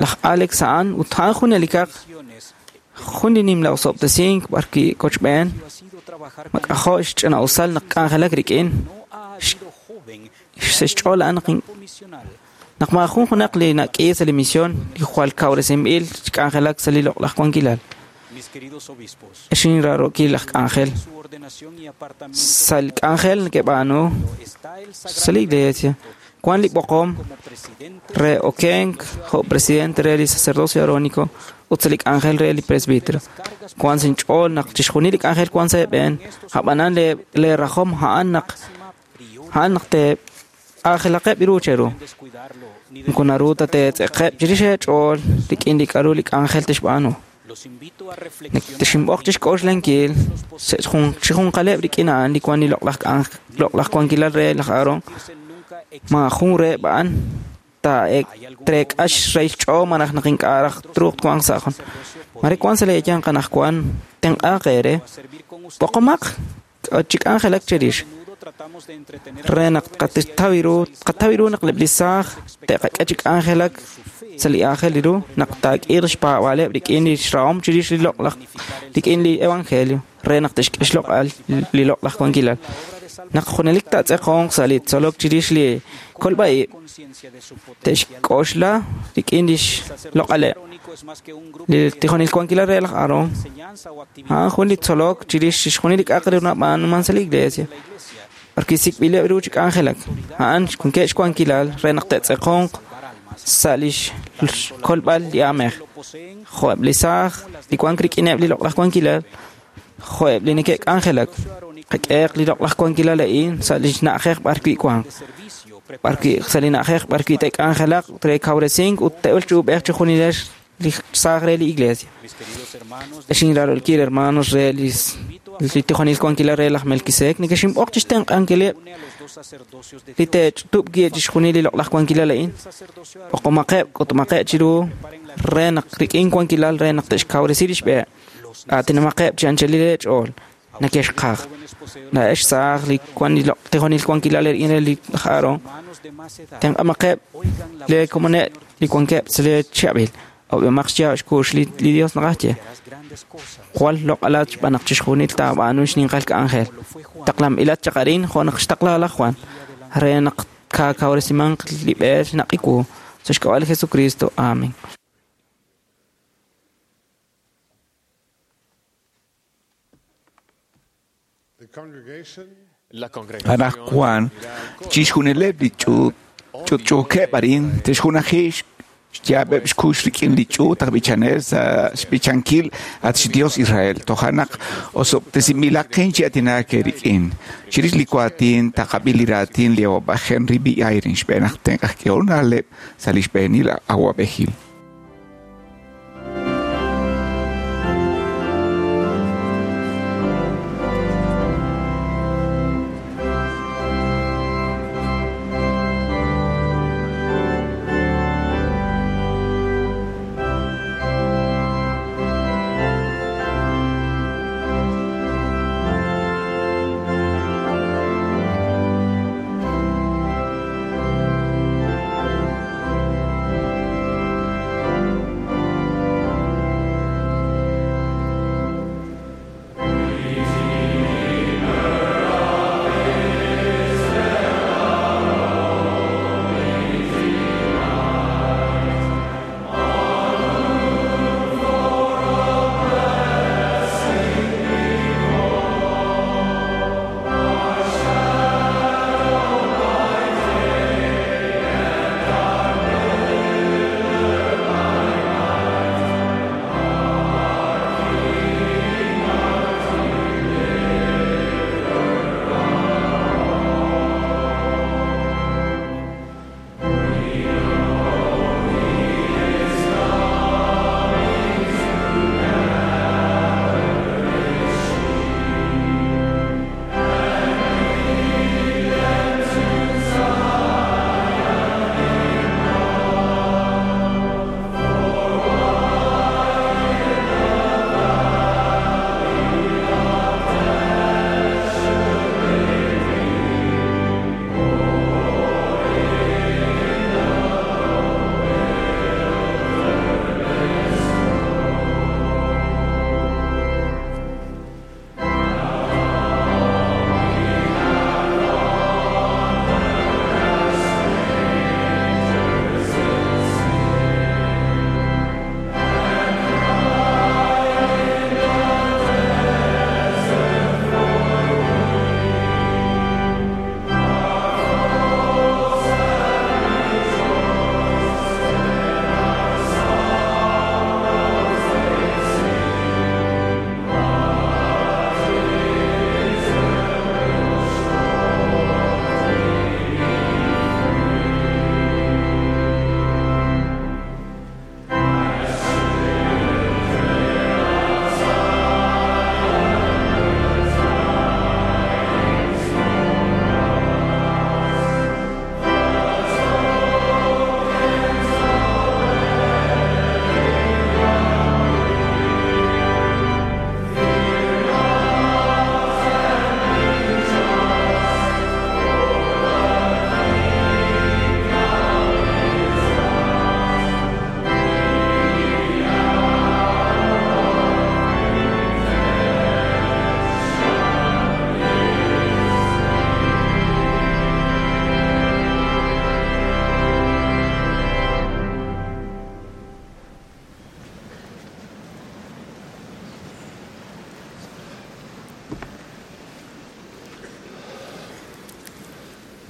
Laj Alex a'an ut a'an junelikaq jun li nimla osob'tesink b'arwi' kochb'een mak'ajo' xch'ina'usal naq k'anjelak rik'in sa' xch'ool a'an naq maajun junaq li nak'i sa' li misión li jwal kawresinb'il xk'anjelak sa' li loq'laj wankilal. Ex inraarookil laj k'anjel sa' li k'anjel neke'b'aanu sa' li iglesia wan li b'oqom re okenk jo' presidente re li sacerdocio arónico ut sa' li k'anjel re li presbítero. Wan sa' inch'ool naq chixjunil li k'anjel wan sa' eeb'een, ab'anan lee rajom a'an naq te'aajelaqeb' ru cheru. Moko naru ta teetz'eqeb' chirix eech'ool rik'in li k'a'ru li k'anjel tixb'aanu. Texinb'oq chixk'oxlankil chijunqaleb' rik'in a'an li wan li loq'laj wankilal re laj Aarón. Maajun reheb' a'an treek'ax rey xch'ool malaj naq ink'a' raj truuq twanq sa' jun. Mare wan sa' leeyanq anaqwan tenq'aaq eere b'oqomaq chi k'anjelak cherix re naq qataw ru naq eb' li saaj te'qak'e chi k'anjelak sa' li aajel ru naq taak'iiq xpaab'aaleb' rik'in li xrahom chirix li loq'laj rik'in li evangelio re naq te'xk'e xloq'al li loq'laj wankilal. Naq junelik taatz'eqonq sa' li tzolok chirix li kolb'a'ib' te'xk'oxla rik'in li xloq'aleb'. Li tijonil wankilal re laj Aarón a'an jun li tzolok chirix chixjunil li k'a'aq re ru nab'aanuman sa' li iglesia. B'arwi' sik'b'ileb' ru chi k'anjelak a'an wankeb' xwankilal re naq te'tz'eqonq sa' li xkolb'al li aamej. Jo'eb' li saaj li wank rik'ineb' li loq'laj wankilal, jo'eb' li neke'k'anjelak. Qak'ehaq li loq'laj wankilal a'in sa' li na'ajej b'arwi' wanq. B'arwi' sa' li na'ajej b'arwi' te'k'anjelaq re kawresink ut te'ul chi ub'ej chi junilex li saaj re li iglesia. Ex inraarookil hermanos re li tijonil wankilal re laj Melquisedec nekexinb'oq chixtenq'ankileb' li te'ch'utub' chixjunil li loq'laj wankilal a'in. B'oqomaqeb' k'utumaqeb' chiru re naq rik'in wankilal re naq te'xkawresi li xb'e. Aatinamaqeb' chi anchalil eech'ool nakexqaj. Laa'ex saaj li wan li tijonil wankilal rik'in re li Aarón. Tenq'amaqeb' lee komoneb' li wankeb' sa' lee chihab'il. Ob'emaq xyaab' xkuux li Dios naqaxye. Jwal loq'alat xb'aan naq chixjunil taab'aanu xninqal k'anjel. Taqlanb'ilat chaq arin jo' naq xtaqla laj Juan re naq kaakawresimanq li b'e xnaq'iwu sa' xk'ab'a' li Jesucristo. Amén. Anaqwan chixjunileb' li ch'utch'uukeb' arin te'xjunaji xyaab'eb' xkux rik'in li ch'uut aj b'ichanel sa' xb'ichankil at xDios Israel. Toja' naq osob'tesinb'ilaqin chi aatinak eerik'in. Chirix li waatin taqab'i li raatin li awab'ej Henry B. Eyring xb'een aj tenq' aj k'ehol na'leb' sa' li xb'eenil awab'ejil.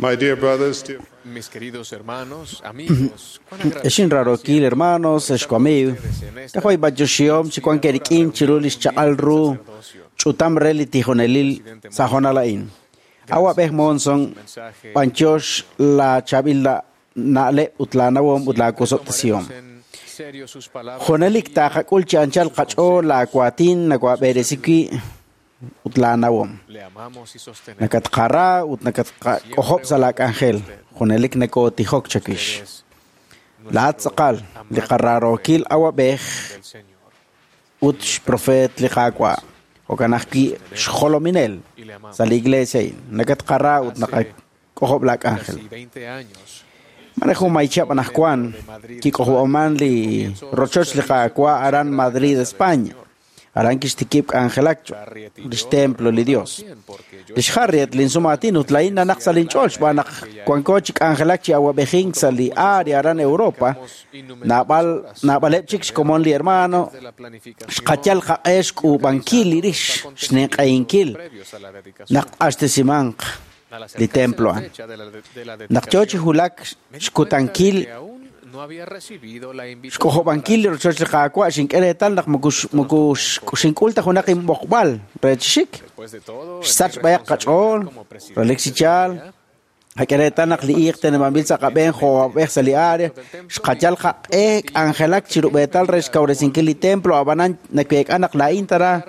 My dear brothers, dear Mis queridos hermanos, amigos, Exin rarokil hermanos, exkuamiw. Kajoy batyoxiom chikuan kerikin chirul ixchaqal ru ch'utam re li tijonelil sajonalain. Awab'ej Monson, panchox la chabil la na'leb ut la nawom ut la kusobtasiom. Jonelik taqak'ul chi anchal qach'ool la kuatin nakuab'eresiki ut la nawom. Nakatqara ut nakatqak'ojob' sa' la k'anjel. Junelik nakotijok chakix. La tz'aqal li qararokil awab'ej ut xprofet li qaawa'. Jo'kan ajwi' xjolominel sa' li iglesia a'in. Nakatqara ut nakak'ojob' la k'anjel. Mare jun maychab' anajwan kik'ojob'aman li rochoch li qaawa' aran Madrid, España. Aran kixtikib' k'anjelakcho lix templo li Dios. Lix Harriet linsumatin ut lain nanaq sa' linch'ool xb'aan naq wanko chi k'anjelak chi awab'ejink sa' li área aran Europa. Naab'al naab'aleb' chik xkomon li hermano xqayal qaq'e xk'uub'ankil li rix xninq'ehinkil naq q'axtesimanq li templo a'an. Naq yo chi wulak xkutankil xk'ojob'ankil li rochoch li Qaawa' xink'e reetal naq moko xink'ul ta junaq inb'oqb'al re chixik. Xsach b'ayaq qach'ool, relik chi yaal, qak'e reetal naq li iiq teneb'anb'il sa' qab'een jo'ab'ej sa' li área, xqayal qaq'e k'anjelak chirub'eetal re xkawresinkil li templo, ab'anan naweek'a naq laa'in tara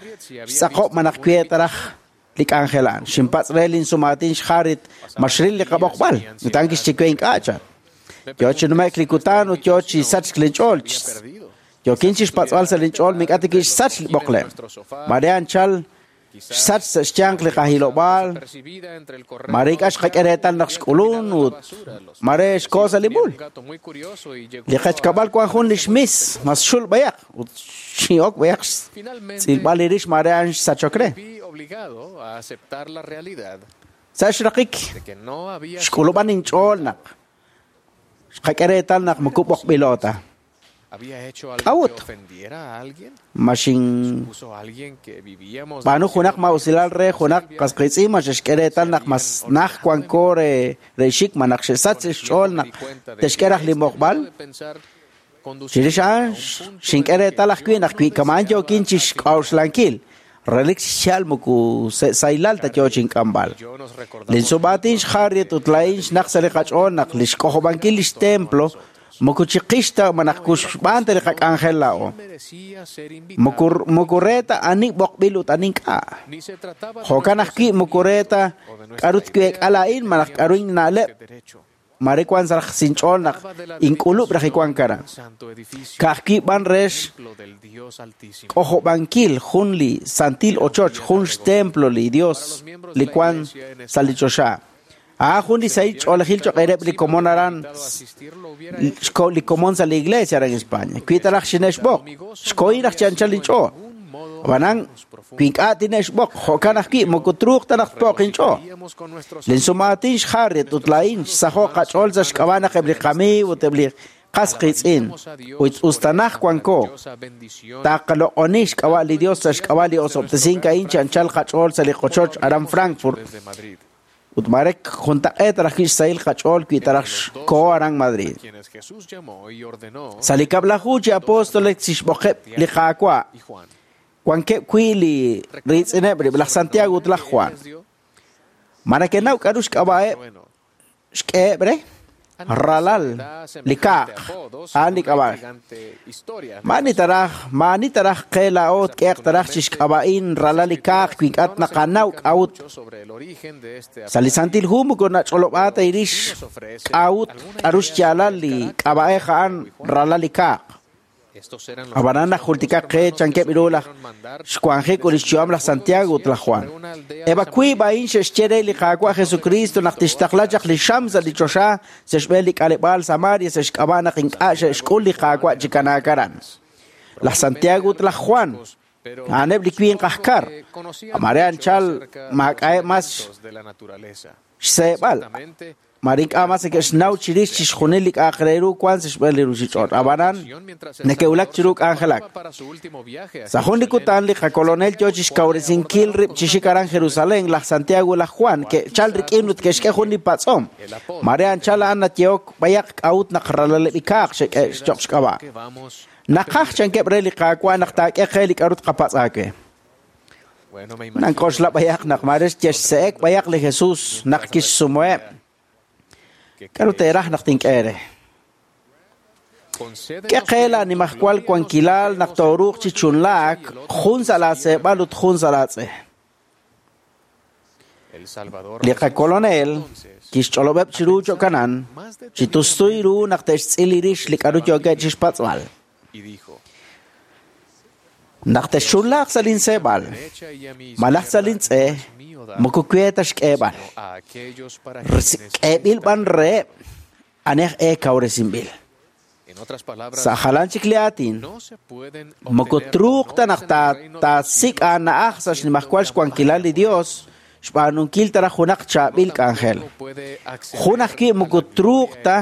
xtz'aqob' malaj kwe taraj li k'anjel a'an. Xinpatz' re linsumatin xHarriet ma xril li qab'oqb'al, ut a'an kixye we ink'a' chan. Yo chi nume'k li kutan ut yo chi sachk linch'ool. Yokin chi xpatz'b'al sa' linch'ool mink'a' tik xsach li b'oqleb'. Mare anchal xsach sa' xyanq li qajilob'aal, mare ink'a' xqak'e reetal naq xk'ulun ut mare xko sa' li mul. Li qachkab'al wan jun li xmis mas xul b'ayaq ut xin'ok b'ayaq xtz'ilb'al li rix mare a'an xsachok re. Sa' xraqik xk'ulub'an inch'ool naq xqak'e reetal naq moko b'oqb'ilo ta. K'a'ut? Ma xinb'aanu junaq ma'usilal re junaq qasqiitz'in ma xe'xk'e reetal naq mas naj wanko re xik ma naq xe'sach xch'ool naq te'xk'e raj li moqb'al? Chirix a'an xink'e reetal ajwi' naq wi kama'an yookin chi xk'a'uxlankil relik xchal moko saylal ta yo chink'amb'al. Linsub'aatin xHarriet ut laa'in xnaq sa' li qach'ool naq li xk'ojob'ankil lix templo moko chiqix ta malaj kuxb'aan ta li qak'anjel laa'o. Moko re ta ani b'oqb'il ut ani ink'a'. Jo'kan ajwi' moko re ta k'a'ru tweek'a laa'in malaj k'a'ru inna'leb' mare wan sa' raj sinch'ool naq ink'ulub' raj iwan karan. Ka'ajwi' b'an re xk'ojob'ankil jun li santil ochoch, jun xtemplo li Dios li wan sa' li choxa. A'an jun li sahil ch'oolejil choq' reheb' li komon aran li komon sa' li iglesia aran España. Wi ta raj xine'xb'oq, xkohin raj chi anchal inch'ool. Ab'anan wi ink'a' tine'xb'oq, jo'kan ajwi' moko truuq ta naq tpo'q inch'ool. Linsumaatin xHarriet ut laa'in xsajo' qach'ool sa' xk'ab'a' naq eb' li qamiiw ut eb' li qasqiitz'in ut us ta naj wanko taqaloq'oni xk'ab'a' li Dios sa' xk'ab'a' li osob'tesink a'in chi anchal qach'ool sa' li qochoch aran Frankfurt. Ut mare juntaq'eet raj wi' xsahil qach'ool wi ta raj xko aran Madrid. Sa' li kab'laju chi apóstoles xb'oqeb' li Qaawa' wankeb' wi' li riitz'ineb' rib' laj Santiago ut laj Juan. Ma neke'naw k'a'ru xk'ab'a'eb' xk'eheb' re? Ralal li kaaq, a'an li k'ab'a'ej. Ma'ani taraj qe laa'o tk'ehaq taraj chi xk'ab'a'in ralal li kaaq wi ink'a' naqanaw k'a'ut. Sa' li Santil Hu moko nach'olob'a ta irix k'a'ut k'a'ru xyaalal li k'ab'a'ej a'an ralal li kaaq. Ab'anan naq jultikaq qe chankeb' ru laj xwanjik ut lix yu'am laj Santiago ut laj Juan. Eb' wiib' a'in xe'xye re li Qaawa' Jesucristo naq tixtaqla chaq li xam sa' li choxa sa' xb'een li k'aleb'aal Samaria sa' xk'ab'a' naq ink'a' xe'xk'ul li Qaawa' chi kanaak aran. Laj Santiago ut laj Juan a'aneb' li winq aj kar. Mare anchal maak'a'eb' mas xseeb'al. Mare ink'a' mas neke'xnaw chirix chixjunil li k'a'aq re ru wank sa' xb'een li ruuchich'och'. Ab'anan neke'wulak chiru k'anjelak. Sa' jun li kutan li qakolonel yo chi xkawresinkil rib' chi xik aran Jerusalén, laj Santiago ut laj Juan ke'chal rik'in ut ke'xk'e jun li patz'om. Mare anchal a'an nayehok b'ayaq k'a'ut naq ralaleb' ikaaq xe'k'e cho'q xk'ab'a'. Naqaj chankeb' re li Qaawa' naq taak'e qe li k'aru tqapatz' aawe. Nank'oxla b'ayaq naq mare xye'xse'ek b'ayaq li Jesús naq kixsumeheb'. K'aru teeraj naq tink'e eere? K'e qe laanimajwal wankilal naq tooruuq chi chunlaak jun sa' laaseeb'al ut jun sa' laatz'e. Li qakolonel kixch'olob'eb' chiru cho'kanan chi tustuy ru naq te'xtz'il rix li k'aru yookeb' chi xpatz'b'al. Naq texchunlaaq sa' linseeb'al malaj sa' lintz'e, moko we ta xk'eeb'al. K'eeb'il b'an reheb' ani aj e kawresinb'il. Sa' jalan chik li aatin, moko truuq ta naq taasik' aana'aj sa' xnimajwal xwankilal li Dios xb'aanunkil ta raj junaq chaab'il k'anjel. Jun ajwi' moko truuq ta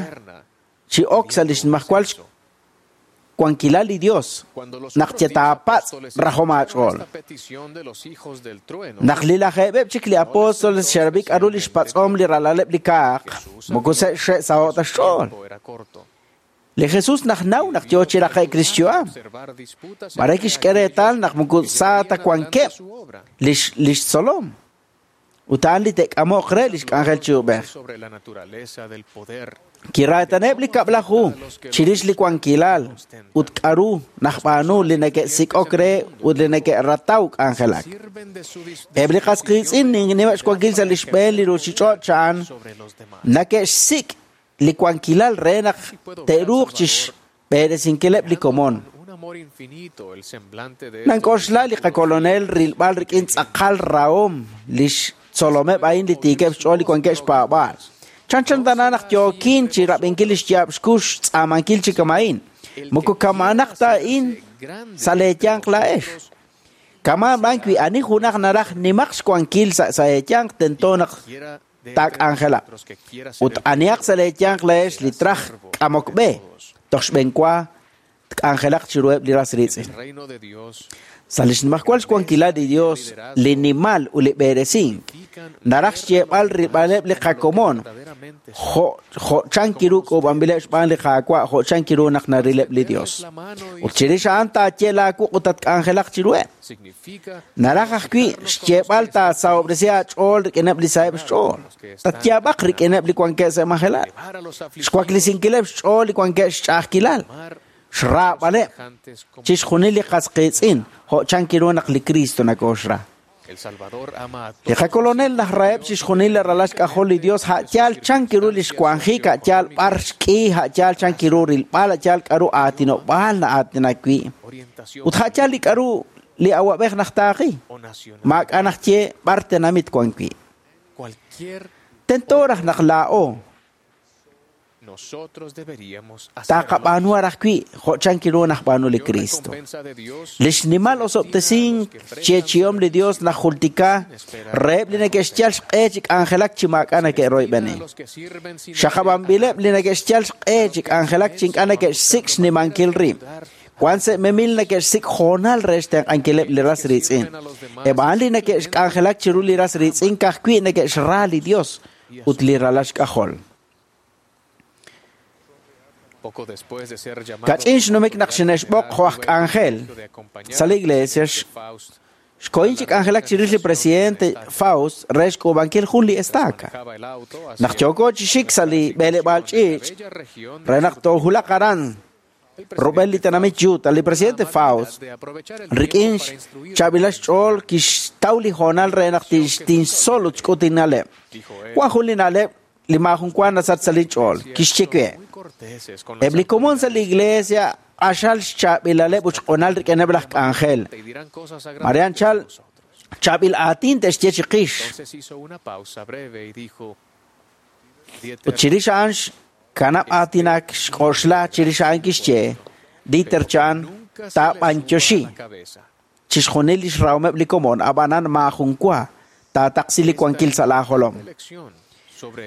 chi ok sa' li xnimajwal xwankilal li Dios naq yetaapatz' rajom aach'ool. Naq li lajeeb'eb' chik li apóstoles xe'rab'i k'aru li xpatz'om li ralaleb' li kaaq, moko xe'saho'k ta xch'ool. Li Jesús najnaw naq yo chi raqe'k li xyu'am. Mare kixk'e reetal naq moko sa ta wankeb' li xtzolom. Ut a'an li te'k'amoq re li xk'anjel chi ub'ej. Kiraataneb' li kab'laju chirix li wankilal ut k'aru najb'aanu li neke'sik'ok re ut li neke'rataw k'anjelak. Eb' li qas qiitz'in ninimeb' xwankil sa' li xb'een li ruuchich'och' a'an neke'xsik' li wankilal re naq te'ruuq chi xb'eresinkileb' li komon. Nank'oxla li qakolonel rilb'al rik'in tz'aqal rahom li xtzolomeb' a'in li tiikeb' xch'ool li wankeb' xpaab'aal. Chanchan tana naq yookin chi rab'inkil li xyaab' xkux xtz'aamankil chi kama'in. Moko kama'anaq ta a'in sa' leeyanq laa'ex. Kama' b'an wi ani junaq naraj nimaq xwankil sa' eeyanq tento naq taak'anjelaq. Ut anihaq sa' leeyanq laa'ex li traj k'amok b'e, toj xb'enwa tk'anjelaq chiruheb' li ras riitz'in. Sa' li xnimajwal xwankilal li Dios, li nimal ut li b'eresink, naraj xyeeb'al rilb'aleb' li qakomon jo' chan kiru k'uub'anb'ileb' xb'aan li Qaawa' jo' chan kiru naq narileb' li Dios. Ut chirix a'an taaye laawuq' ut tatk'anjelaq chiruheb'. Naraj ajwi' xyeeb'al taasahob'resi aach'ool rik'ineb' li saheb' xch'ool. Tatyaab'aq rik'ineb' li wankeb' sa' majelal. Xwaklisinkileb' xch'ool li wankeb' xch'a'ajkilal. Xraab'aleb' chixjunil li qas qiitz'in jo' chan kiru naq li Cristo nakooxra. Li qakolonel najraheb' chixjunil li ralal xk'ajol li Dios a'yaal chan kiru li xwanjik, a'yaal b'ar xk'i, a'yaal chan kiru rilb'al, a'yaal k'aru aatinob'aal na'aatinak wi'. Ut a'yaal li k'aru li awab'ej najtaaqi, maak'a' najye b'ar tenamit wan wi'. Tento raj naq laa'o taqab'aanu raj wi' jo' chan kiru najb'aanu li Cristo. Li xnimal osob'tesink xyeechi'om li Dios najultika reheb' li neke'xyal xq'e chi k'anjelak chi maak'a' neke'royb'eni. Xaqab'anb'ileb' li neke'xyal xq'e chi k'anjelak chi ink'a' neke'xsik' xnimankil rib'. Wan sa' memil neke'xsik' hoonal re xtenq'ankileb' li ras riitz'in. Eb' a'an li neke'xk'anjelak chiru li ras riitz'in ka'ajwi' neke'xra li Dios ut li ralal xk'ajol. Kach'in xnumik naq xine'xb'oq jo' aj k'anjel sa' li iglesia xkohin chi k'anjelak chirix li presidente Faust re xk'uub'ankil jun li estaca. Naq yooko chi xik sa' li b'eleb'aal ch'iich' re naq toohulaq aran rub'el li tenamit Utah, li presidente Faust rik'in xchaab'ilal xch'ool kixtaw li hoonal re naq tinxtzol ut xk'ut inna'leb'. Wan jun li na'leb' li maajun wa nasach sa' li ch'ool. Kixye we: Eb' li komon sa' li iglesia q'axal xchaab'ilaleb' ut xq'unal rik'ineb' laj k'anjel. Mare anchal chaab'il aatin te'xye chiqix. Ut chirix a'an xkanab' aatinak xk'oxla chirix a'an kixye: Dieter chan taab'anyoxi chixjunil li xrahomeb' li komon, ab'anan maajun wa taataqsi li wankil sa' laajolom.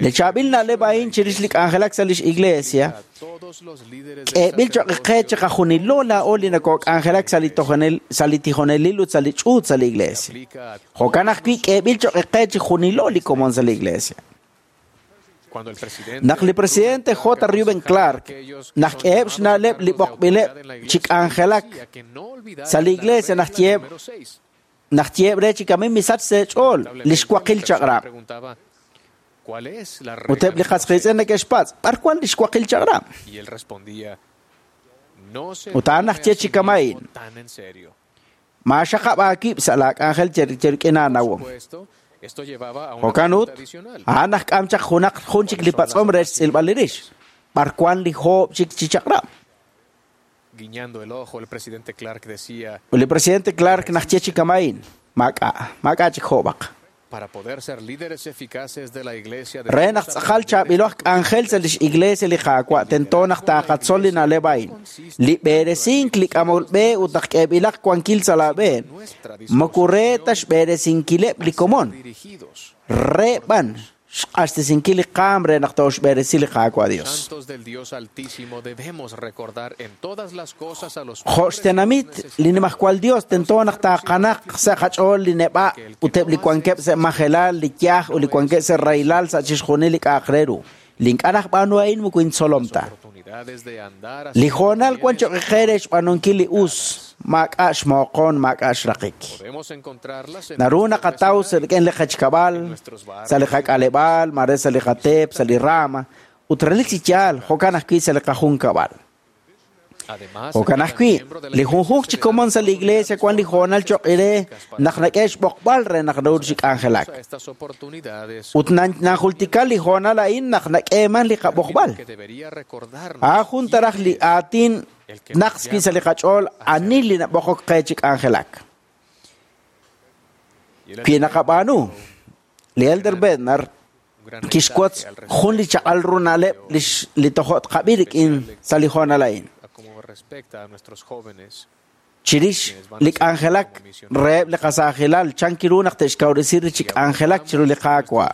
Li chaab'il na'leb' a'in chirix li k'anjelak sa' lix iglesia k'eeb'il choq' qe chiqajunilo laa'o li nokok'anjelak sa' li tojonel sa' li tijonelil ut sa' li ch'uut sa' li iglesia. Jo'kan ajwi' k'eeb'il choq' qe chijunilo li komon sa' li iglesia. Naq li presidente J. Reuben Clark naq k'eheb' xna'leb' li b'oqb'ileb' chi k'anjelak sa' li iglesia naq yeeb' re chi kamin misach sa' ch'ool li xwaqil chaq'rab'. Ut eb' li qas qiitz'in neke'xpatz' b'ar wan li xwaqil chaq'rab'. Ut a'an naj ye chi kama'in maaxaqab' aawib' sa' laak'anjel cherik'in aanawom. Jo'kan ut, a'an naj k'am chaq junaq jun chik li patz'om re xtz'ilb'al li rix, b'ar wan li joob' chik chi chaq'rab'. Ut li presidente Clark naj ye chi kama'in maak'a' chik joob'aq. Re naq tz'aqal chaab'ilo aj k'anjel sa' lix iglesia li Qaawa' tento naq taaqatzol li na'leb' a'in. Li b'eresink li k'amol b'e ut naq k'eeb'ilaq wankil sa' laab'een moko re ta xb'eresinkileb' li komon, re b'an xq'axtesinkil li qaam re naq tooxb'eresi li Qaawa' Dios. Jo' xtenamit li nimajwal Dios tento naq taaqanaq sa' qach'ool li neb'a' ut eb' li wankeb' sa' majelal, li yaj ut li wankeb' sa' rahilal sa' chixjunil li k'a'aq re ru. Li ink'a' naj b'aanu a'in moko intzolom ta. Li hoonal wan choq' qe re xb'aanunkil li us, maak'a' xmooqon, maak'a' xraqik. Naru naqataw sa' rik'in li qechkab'al, sa' li qak'aleb'aal, mare sa' li qateep, sa' li rama, ut relik chi yaal jo'kan ajwi' sa' li qajunkab'al. Jo'kan ajwi', li junjunq chi komon sa' li iglesia wan li hoonal choq' re naq nak'e xb'oqb'al re naq naru chi k'anjelak. Ut najultika li hoonal a'in naq nak'eeman li qab'oqb'al. A'an jun taraj li aatin naq wi' sa' li qach'ool ani li nab'oqok qe chi k'anjelak. Wi naqab'aanu, li Elder Bednar kixwotz jun li chaq'al ru na'leb' li tojo' tqab'i rik'in sa' li hoonal a'in. Chirix li k'anjelak reheb' li qasaajilal chan kiru naq te'xkawresi ri chi k'anjelak chiru li Qaawa'.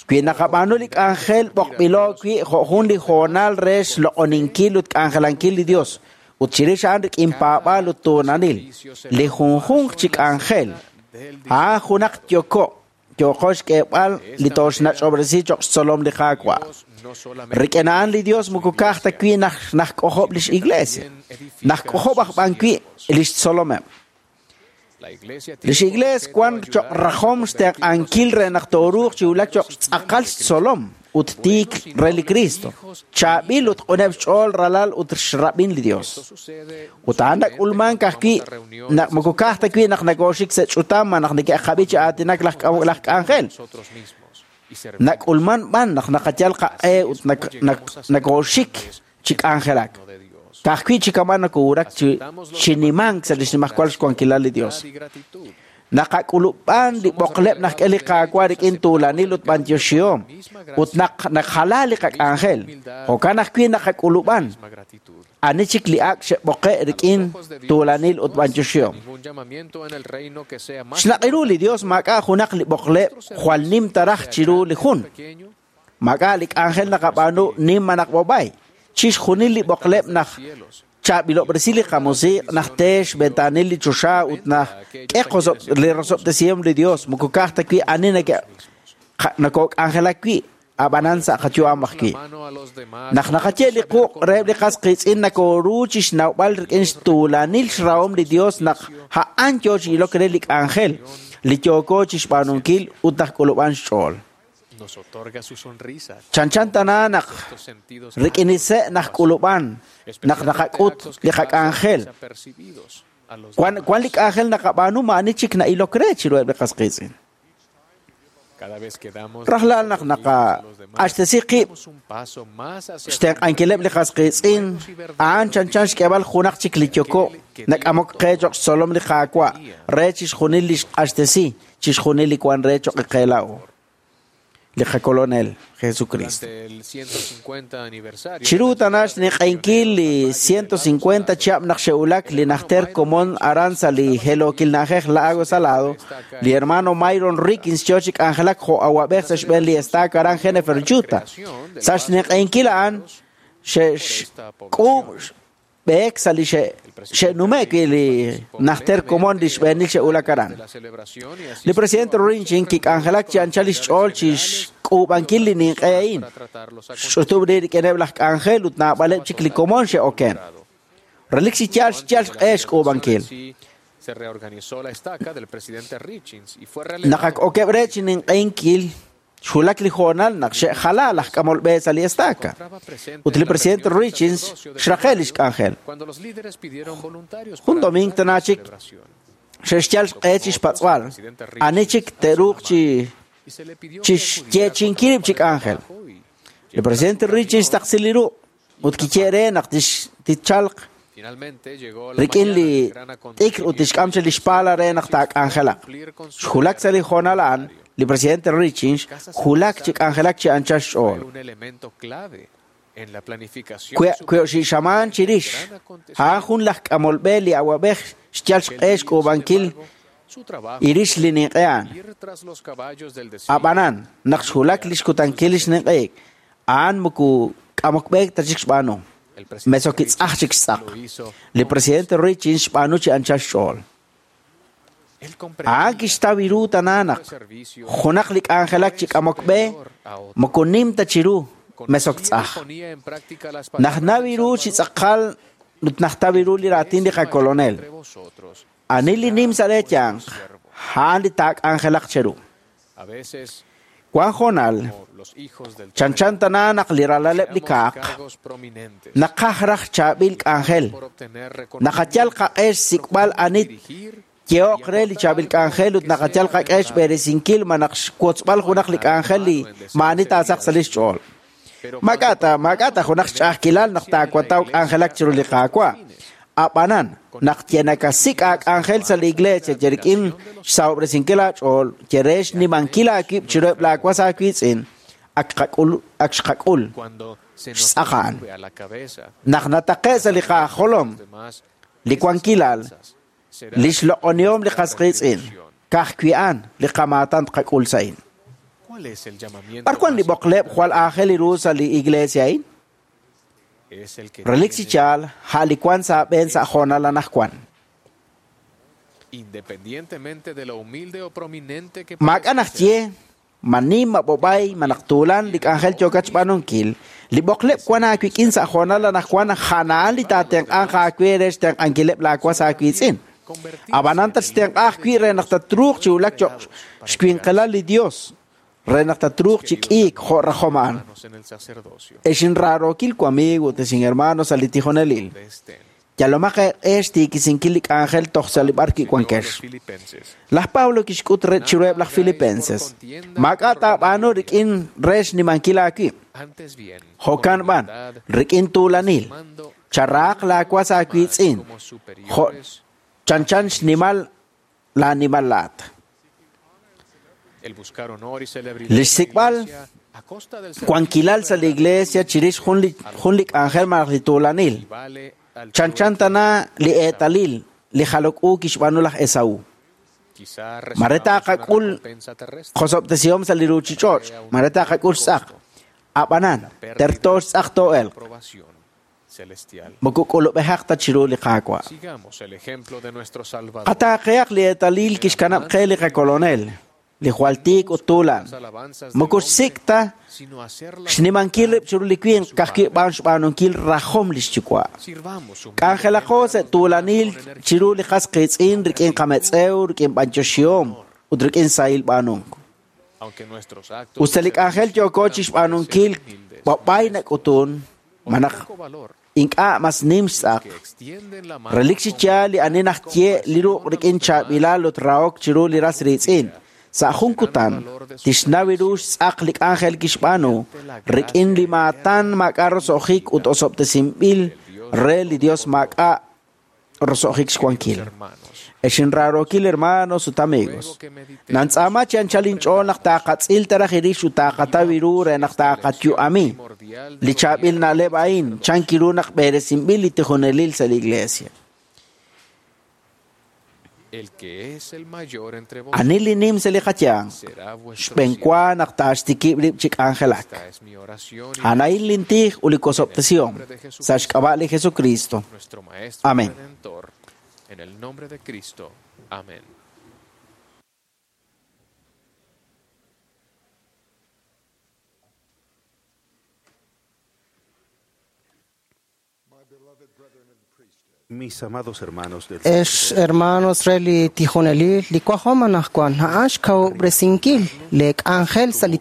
Wi naqab'aanu li k'anjel b'oqb'ilo wi' jo' jun li hoonal re xloq'oninkil ut k'anjelankil li Dios, ut chirix a'an rik'in paab'aal ut tuunanil, li junjunq chi k'anjel a'an junaq yoko' yooqo xk'eeb'al li tooxnach'ob'resi choq' xtzolom li Qaawa'. Rik'in a'an li Dios moko ka'aj ta wi' naj k'ojob' lix iglesia, naj k'ojob' aj b'an wi' lix tzolomeb'. Lix iglees wan choq' rajom xtenq'ankil re naq tooruuq chi wulak choq' xtz'aqal xtzolom ut tiik re li Cristo, chaab'il ut q'uneb' xch'ool ralal ut xrab'in li Dios. Ut a'an nak'ulmank ajwi' naq moko ka'aj ta wi' naq nakooxik sa' ch'utam naq neke'qab'i chi aatinak laj k'anjel. Nak'ulman b'an naq naqayal qaq'e ut nakooxik chi k'anjelak. Ka'ajwi' chi kama' nakowulak chi nimank sa' lix nimajwal xwankilal li Dios. Naqak'ulub'an li b'oqleb' naq k'e li Qaawa' rik'in tuulanil ut b'antioxihom, ut naq naqjala li qak'anjel, jo'kan ajwi' naqak'ulub'an ani chik li ak' xe'b'oqe' rik'in tuulanil ut b'antioxihom. Xnaq'iru li Dios maak'a' junaq li b'oqleb' jwal nim taraj chiru li jun. Maak'a' li k'anjel naqab'aanu nim manaq b'ob'ay. Chixjunil li b'oqleb' naq chaab'ilob'resi li qamusiq' naq teex ventanil li choxa ut naq k'e li rosob'tesihom li Dios moko ka'aj ta wi' ani nakok'anjelak wi' ab'anan sa' qayu'am ajwi'. Naq naqaye li quq' reheb' li qas qiitz'in nakooru chi xnawb'al rik'in xtuulanil xrahom li Dios naq a'an yoo chi ilok re li k'anjel li yooko chi xb'aanunkil ut naq k'ulub'an xch'ool. Chanchan tana naq rik'in li se' naq k'ulub'an naq naqak'ut li qak'anjel. Wan li k'anjel naqab'aanu ma'ani chik na'ilok re chiruheb' li qas qiitz'in. Rajlal naq naqaq'axtesi qib' xtenq'ankileb' li qas qiitz'in, a'an chanchan xk'eeb'al junaq chik li yoko' nak'amok qe choq' xtzolom li Qaawa' re chixjunil li xq'axtesi, chixjunil li wan re choq' qe laa'o. li qakolonel Jesucristo. Chiru tana xniq'enkil li 150 chihab' naq xe'wulak li najter komon aran sa' li helokil na'ajej Lago Salado, li hermano Myron Rickins yo chi k'anjelak jo' awab'ej sa' xb'een li estaca aran Jennifer, Utah. Sa' xniq'enkil a'an xe'xk'uub' b'eek sa' li xe'nume'k wi' li najter komon li xb'eenil xe'wulak aran. Li presidente Rinchin kik'anjelak chi anchal lix ch'ool chi xk'uub'ankil li ninq'e a'in. Xch'utub' rib' rik'ineb' laj k'anjel ut naab'aleb' chik li komon xe'oken. Relik chi yaal xyal xq'e xk'uub'ankil. Naq ak okeb' re chi ninq'ehinkil, xwulak li hoonal naq xe'jala laj k'amol b'e sa' li estaca. Ut li presidente Richins xraqe' lix k'anjel. Jun doming tana chik xe'xyal xq'e chi xpatz'b'al, ani chik te'ruuq chi chixyeechi'inkil rib' chi k'anjel. Li presidente Richins taqsi li ruq' ut kiye re naq tixchalq rik'in li t'ikr ut tixk'am chaq lix pala re naq taak'anjelaq. Xwulak sa' li hoonal a'an, li presidente Richins xwulak chi k'anjelak chi anchal xch'ool. Kwe'xixamaan chirix, a'an jun laj k'amol b'e li awab'ej xyal xq'e xk'uub'ankil irix li ninq'e a'an. Ab'anan, naq xwulak lix kutankil lix ninq'eik, a'an moko k'amok b'eek ta chik xb'aanu. Mesokitz'aj chik xtz'aq. Li presidente Richins xb'aanu chi anchal xch'ool. A'an kixtaw ru tana naq junaq li k'anjelak chi k'amok b'e moko nim ta chiru mesoktz'aj. Naq nawi ru chi tz'aqal ut najtaw ru li raatin li qakolonel. Ani li nim sa' reeyanq, a'an li taak'anjelaq cheru. Wan hoonal, chanchan tana naq li ralaleb' li kaaq, naqaj raj chaab'il k'anjel, naqayal qaq'e xsik'b'al ani yehoq re li chaab'il k'anjel ut naqayal qaq'e xb'eresinkil ma naq xwotzb'al junaq li k'anjel li maa'ani taasaq sa' lix ch'ool. Maak'a ta junaq xch'a'ajkilal naq taawataw k'anjelak chiru li Qaawa'. Ab'anan, naq yenakasik' aak'anjel sa' li iglesia ye rik'in xsahob'resinkil aach'ool, ye re xnimankil aawib' chiruheb' laawas aawiitz'in, ak xqak'ul xtz'aq a'an. Naq nataqe' sa' li qajolom, li wankilal, lix loq'onihom li qas qiitz'in, ka'ajwi' a'an li qamaatan tqak'ul sa' a'in. B'ar wan li b'oqleb' jwal aajel ru sa' li iglesia a'in? Relik chi yaal, a' li wan sa' aab'een sa' hoonal anaqwan. Maak'a' naxye, ma nim, ma b'ob'ay, ma naq tuulan li k'anjel yookat xb'aanunkil, li b'oqleb' wan aawik'in sa' hoonal anaqwan a'an li taatenq'anq aawe re xtenq'ankileb' laawas aawiitz'in. Ab'anan tatxtenq'a ajwi' re naq tatruuq chi wulak cho'q xwinqilal li Dios, re naq tatruuq chi k'iik jo' rajom a'an. Ex inraarookil wamiigo ut ex inhermano sa' li tijonelil, yalomaq eeq'e xtiikisinkil li k'anjel toj sa' li b'ar kiwankex. Laj Pablo kixk'ut chiruheb' laj Filipenses, maak'a' taab'aanu rik'in re xnimankil aawib'. Jo'kan b'an, rik'in tuulanil, charaaq laawas aawiitz'in, jo' chanchan xnimal laanimal laat. Li xsik'b'al wankilal sa' li iglesia chirix jun li k'anjel malaj li tuulanil. Chanchan tana li eetalil li jalok u kixb'aanu laj Esaú. Mare taaqak'ul qosob'tesihom sa' li ruuchich'och', mare taaqak'ul xtz'aq. Ab'anan, terto xtz'aq too'elq. Moko k'ulub'ejaq ta chiru li Qaawa'. Qataaqehaq li eetalil kixkanab' qe li qakolonel, li jwal tiik ut tuulan. Moko xsik' ta xnimankil rib' chiru li winq ka'ajwi' b'an xb'aanunkil rajom lix yuwa'. K'anjelaqo sa' tuulanil chiru li qas qiitz'in rik'in qametz'ew, rik'in b'anyoxihom ut rik'in sahil b'aanunk. Ut sa' li k'anjel yooko chi xb'aanunkil b'ob'ay nak'utun, ma naq ink'a' mas nim xtz'aq. Relik chi yaal li ani naxye li ruq' rik'in chaab'ilal ut rahok chiru li ras riitz'in. Sa' jun kutan, tixnaw ru xtz'aq li k'anjel kixb'aanu, rik'in li maatan maak'a' roso'jik ut osob'tesinb'il re li Dios maak'a' roso'jik xwankil. Ex inraarookil hermanos ut amigos, nantz'aama chi anchal inch'ool naq taaqatz'il taraj irix ut taaqataw iru re naq taaqatyu'ami. Li chaab'il na'leb' a'in chank iru naq b'eresinb'il li tijonelil sa' li iglesia. Ani li nim sa' li qayanq, xb'enwa naq taaxtikib' rib' chi k'anjelak. A'an lintij ut li kosob'tesihom sa' xk'ab'a' li Jesucristo. Amén. En el nombre de Cristo. Amén. Mis amados hermanos del Ex hermanos re li tijonelil, li wajom anaqwan a'an xkawub'resinkil li k'anjel sa' li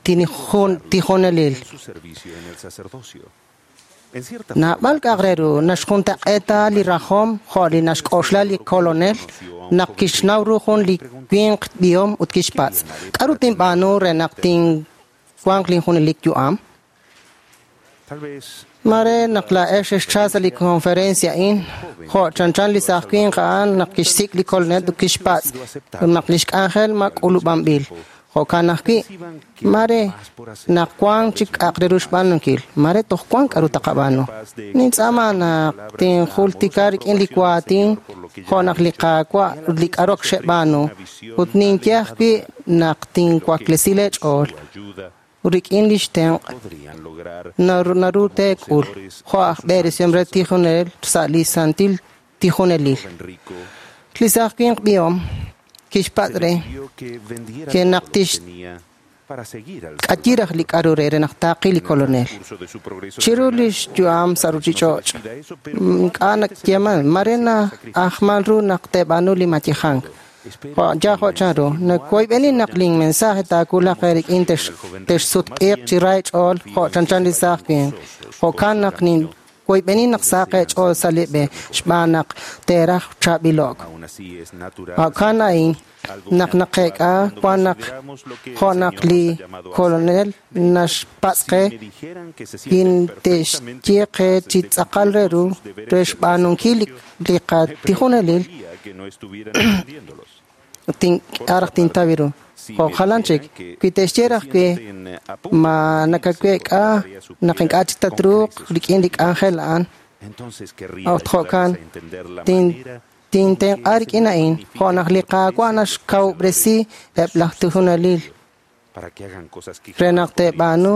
tijonelil. su servicio en el sacerdocio. En cierta Naab'al k'a'aq re ru naxjuntaq'eeta li rajom jo' li naxk'oxla li kolonel naq kixnaw ru jun li winq b'ihom ut kixpatz'. K'aru tinb'aanu re naq tinwanq linjunelik yu'am? tal vez Mare naq laa'ex xexcha sa' li conferencia a'in, jo' chanchan li saaj winq a'an naq kixsik' li kolonel ut kixpatz' ut naq lix k'anjel ma k'ulub'anb'il. Jo'kan ajwi', mare naq wank chik k'a'aq re ru xb'aanunkil, mare toj wank k'aru taqab'aanu. Nintz'aama naq tinjultika rik'in li waatin jo' naq li Qaawa' ut li k'aru ak xeb'aanu, ut ninye ajwi' naq tinwaklesi leech'ool ut rik'in lix tenq' podrían lograr naru teek'ul jo' aj b'eresihom re tijonel sa' li santil tijonelil. rico Li saaj winq b'ihom kixpatz' re vio que vendiera que naq todo lo que tix tenía para seguir al k'ayiraj li k'aru re re naq taaqi li kolonel. curso de su progreso Chiru lix yu'am sa' ruchich'och', ink'a' nakyeeman, mare na'ajman ru naq teeb'aanu li mayejank. Jo' ya jo' chanru, nawoyb'eni naq linmensaje taawulaq rik'in texsutq'iiq chi ra ch'ool jo' chanchan li saaj winq. Jo'kan naq ninwoyb'eni naq saq eech'ool sa' li b'e xb'aan naq teeraj chaab'ilo'k. aún así es natural Jo'kan a'in naq naqeek'a wan naq jo' naq li kolonel naxpatz' qe me dijeran que se sienten kintexye qe chi tz'aqal re ru re xb'aanunkil li qatijonelil que no estuvieran entendiéndolos. tink'araj tintaw ru. Jo' jalan chik, wi texye raj wi ma nakawek'a naq ink'a' chik tatruuq rik'in li k'anjel a'an, Entonces querría ut jo'kan ayudarles a entender la manera tintenq'a rik'in a'in jo' naq li Qaawa' naxkawub'resi eb' laj tijonelil para que hagan cosas que re naq teeb'aanu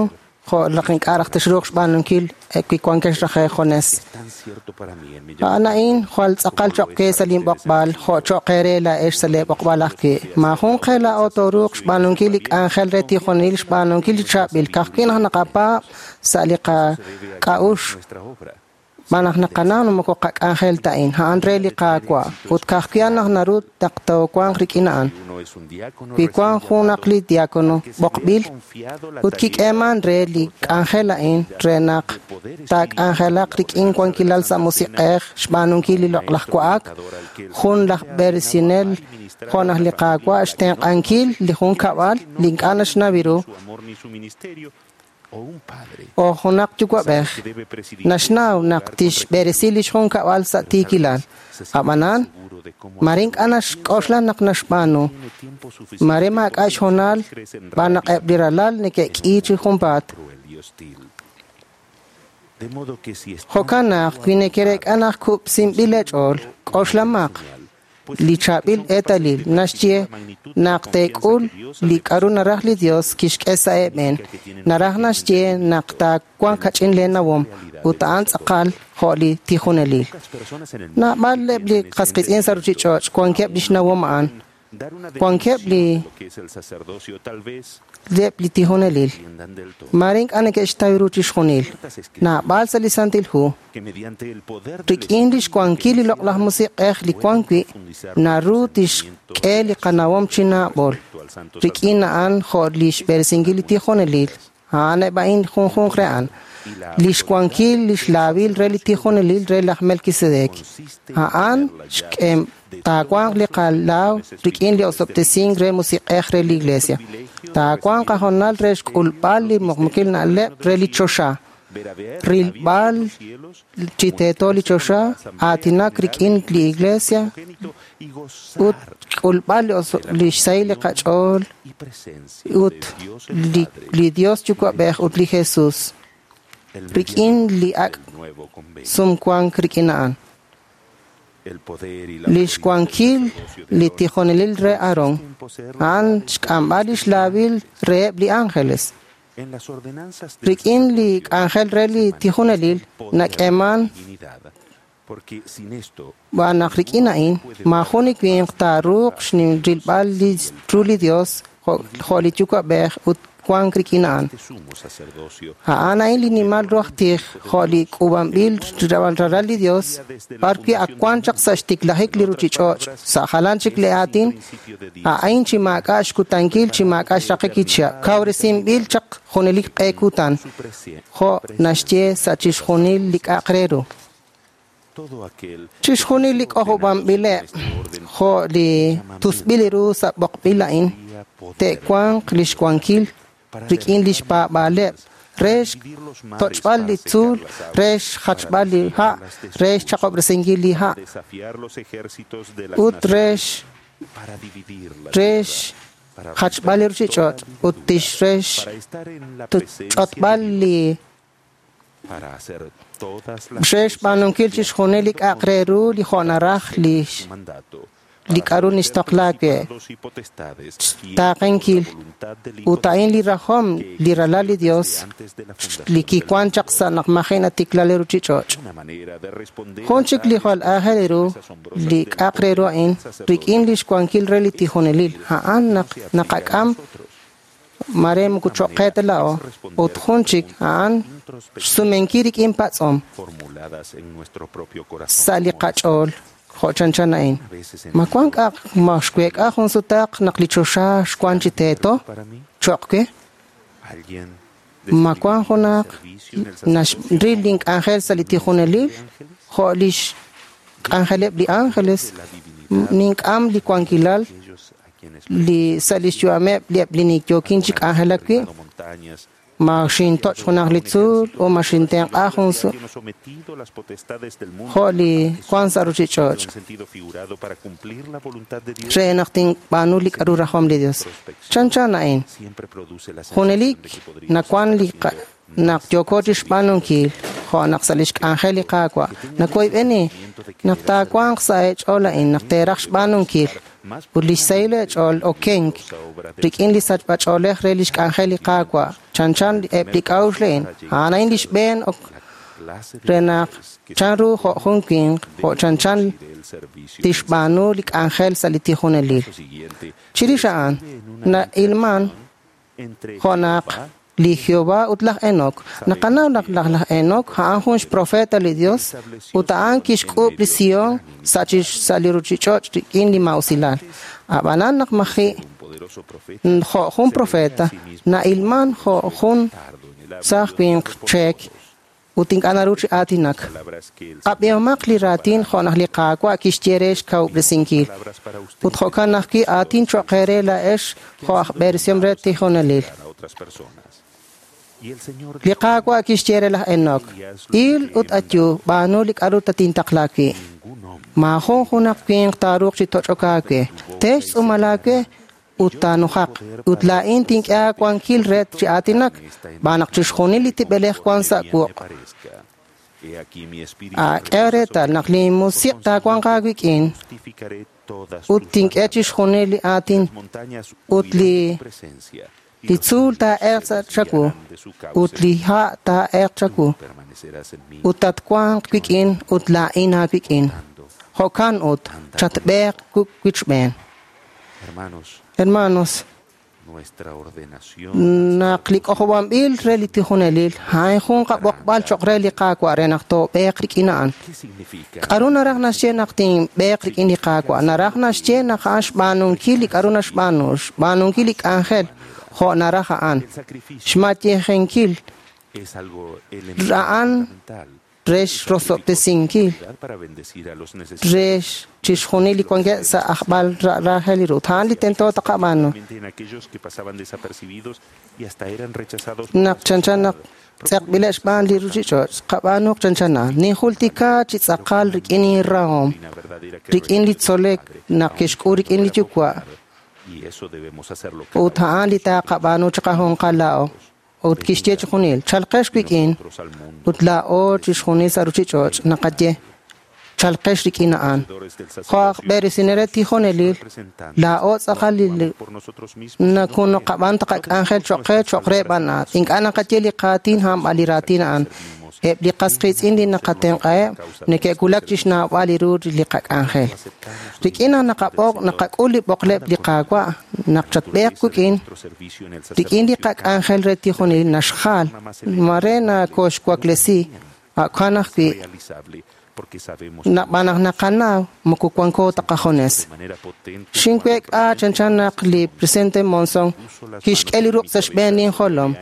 jo' naq ink'a' raj texruuq xb'aanunkil wi wankex raj eejunes. tan cierto para mí en mi A'an a'in jwal tz'aqal cho'q qe sa' linb'oqb'al jo' cho'q eere laa'ex sa' leeb'oqb'al ajwi'. Maajun qe laa'o tooruuq xb'aanunkil li k'anjel re tijonelil xb'aanunkil li chaab'il ka'ajwi' naq naqapaab' sa' li qak'a'uxl nuestra obra. xb'aan naq naqanaw naq moko qak'anjel ta a'in, a'an re li Qaawa' ut ka'ajwi' naq naru naq toowanq rik'in a'an. Uno es un diácono Wi wank junaq li diácono b'oqb'il ut kik'eeman re li k'anjel a'in re naq taak'anjelaq rik'in wankilal sa' musiq'ej xb'aanunkil li loq'laj wa'ak, jun laj b'eresinel jo' naq li Qaawa' xtenq'ankil li junkab'al li ink'a' naxnaw ru su amor ni su ministerio o un padre o junaq yuwa'b'ej que debe presidir naxnaw naq tixb'eresi lix junkab'al sa' tiikilal. Ab'anan, mare ink'a' naxk'oxla naq naxb'aanu. tiempo suficiente Mare maak'a' xhoonal xb'aan naq eb' li ralal neke'k'i chi junpaat. cruel y hostil. De modo que si están Jo'kan naq wi neke'reek'a naq kub'sinb'il eech'ool, k'oxlamaq li chaab'il eetalil naxye naq teek'ul li k'aru naraj li Dios kixk'e sa' eeb'en. Naraj naxye naq taawanq kach'in leenawom ut a'an tz'aqal jo' li tijonelil. personas en el Naab'al eb' li qasqitz'in sa' ruchich'och' wankeb' lix nawom a'an. dar una Wankeb' li definición de lo que es el sacerdocio tal vez eb' li tijonelil. entiendan del todo Mare ink'a' neke'xtaw ru chixjunil. Naab'al sa' li Santil Hu que mediante el poder del rik'in lix wankil li loq'laj musiq'ej li wan wi' naru tixk'e li qanawom chi naab'ol. Rik'in a'an jo' li xb'eresinkil li tijonelil, a'an eb' a'in junjunq re a'an. Lix wankil lix laawil re li tijonelil re laj Melquisedec. A'an xk'em taawanq li qalaaw rik'in li osob'tesink re musiq'ej re li iglesia. Taawanq qahoonal re xk'ulb'al li muqmukil na'leb' re li choxa. Rilb'al chi teeto li choxa, aatinak rik'in li iglesia ut k'ulb'al li xsahil li qach'ool ut li Dios Yuwa'b'ej ut li Jesus rik'in li ak' sumwank rik'in a'an. Li xwankil li tijonelil re Aarón, a'an xk'amb'al lix laawil reheb' li ángeles. Rik'in li k'anjel re li tijonelil nak'eeman b'an naq rik'in a'in maajun li winq taaruuq rilb'al ru li Dios jo' li Yuwa'b'ej ut wank rik'in a'an. A'an a'in li nimal ru aj tij jo' li k'uub'anb'il ralal li Dios b'arwi' ak wan chaq sa' xtiklajik li ruchich'och' sa' jalan chik li aatin a'in chi maak'a' xkutankil chi maak'a' xraqik li chihab' kawresinb'il chaq junelik q'e kutan jo' naxye sa' chixjunil li k'a'aq re ru. Chixjunil li k'ojob'anb'ileb' jo' li tusb'il ru sa' b'oqb'il a'in te'wanq lix wankil rik'in lix paab'aaleb' re xtoch'b'al li tzuul, re xjachb'al li ha', re xchaqob'resinkil li ha' ut re xjachb'al li ruchich'och' ut tix re xch'otb'al li re xb'aanunkil chixjunil li k'a'aq re ru li jo' naraj li k'a'ru nixtoqla wi' xtaaqenkil ut a'in li rajom li ralal li Dios li kiwan chaq sa' naq maji' natikla li ruchich'och'. Jun chik li jwal aajel ru li k'a'aq re ru a'in rik'in li xwankil re li tijonelil a'an naq naqak'am mare moko cho'q qe ta la'o ut jun chik a'an xsumenkil rik'in patz'om sa' li qach'ool jo' chanchan a'in. Ma wan k'a'aq ma xweek'a jun sutaq naq li choxa xwan chi teeto cho'q we? Ma wan junaq naxril link'anjel sa' li tijonelil jo' lix k'anjeleb' li ángeles nink'am li wankilal li sa' lix yu'ameb' li eb' li niyookin chi k'anjelak wi' ma xintoch' junaq li tzuul o ma xintenq'a jun jo' li wan sa' ruchich'och' re naq tinb'aanu li k'a'ru rajom li Dios. Chanchan a'in junelik nawan li naq yooko chixb'aanunkil jo' naq sa' lix k'anjel li Qaawa' nawoyb'eni naq taawanq sa' eech'ool a'in naq teeraj xb'aanunkil ut lix sahil eech'ool okenk rik'in li sachb'ach'oolej re lix k'anjel li Qaawa' chanchan eb' li k'a'uxl a'in a'an a'in lix b'een re naq chanru jo' jun winq jo' chanchan tixb'aanu li k'anjel sa' li tijonelil. Chirix a'an na'ilman jo' naq li Jehová ut laj Enoc. Naqanaw naq laj Enoc a'an jun xprofeta li Dios ut a'an kixk'uub' li Sion sa' li ruchich'och' rik'in li mausilal. Ab'anan naq maji' jo' jun profeta na'ilman jo' jun saaj winq cheek ut ink'a' naru chi aatinak. Qab'ihomaq li raatin jo' naq li Qaawa' kixye re xkawub'resinkil ut jo'kan ajwi' aatin cho'q eere laa'ex jo' aj b'eresihom re tijonelil. Li Qaawa' kixye re laj Enoc, il ut ayu b'aanu li k'a'ru tatintaqla wi'. Maajun junaq winq taaruuq chi toch'ok aawe, te xtz'uumal aawe ut taanujaq ut laa'in tink'e aawankil re chi aatinak b'an naq chixjunil li tib'elej wan sa' wuq'. K'e reetal naq li musiq' taawanq aawik'in ut tink'e chixjunil li aatin ut li tzuul taa'elq sa' chawu ut li ha' taa'elq chawu ut tatwanq wik'in ut laa'in aawik'in. Jo'kan ut chatb'eeq wichb'een. Hermanos, naq li k'ojob'anb'il re li tijonelil a'in jun qab'oqb'al cho'q re li Qaawa' re naq toob'eeq rik'in a'an. K'a'ru naraj naxye naq tinb'eeq rik'in li Qaawa'? Naraj naxye naq a'an xb'aanunkil li k'a'ru naxb'aanu, xb'aanunkil li k'anjel jo' naraj a'an, xmatyejenkil a'an re xrosob'tesinkil re chixjunil li wankeb' sa' ajb'al rajel li ru. A'an li tento taqab'aanu. Naq chanchan naq tz'eqb'ileb' xb'aan li ruuchich'och', qab'aanuq chanchana. Ninjultika chi tz'aqal rik'in inrahom, rik'in li tzolek naq kixk'ul rik'in li yuwa', ut a'an li taaqab'aanu chiqajunqal laa'o. Ut kixye chi junil, chalqex wik'in, ut laa'o chixjunil sa' ruuchich'och' naqaye, chalqex rik'in a'an. Jo' aj b'eresinel re tijonelil, laa'o tz'aqal li nakunoqab'an taqak'anjel choq' qe choq' re b'an a'an. Ink'a' naqaye li qaatin a'an li raatin a'an. Eb' li qas qiitz'in li naqatenq'aheb' neke'wulak chixnawb'al li ru li qak'anjel. Rik'in naq naqab'oq naqak'ul li b'oqleb' li Qaawa' naq chatb'eeq wik'in, rik'in li qak'anjel re tijonelil naxjal, mare nakoxwaklesi, a'kan ajwi' nab'an naq naqanaw moko wanko ta qajunes. Xinweek'a chanchan naq li presidente Monson kixk'e li ruq' sa' xb'een linjolom.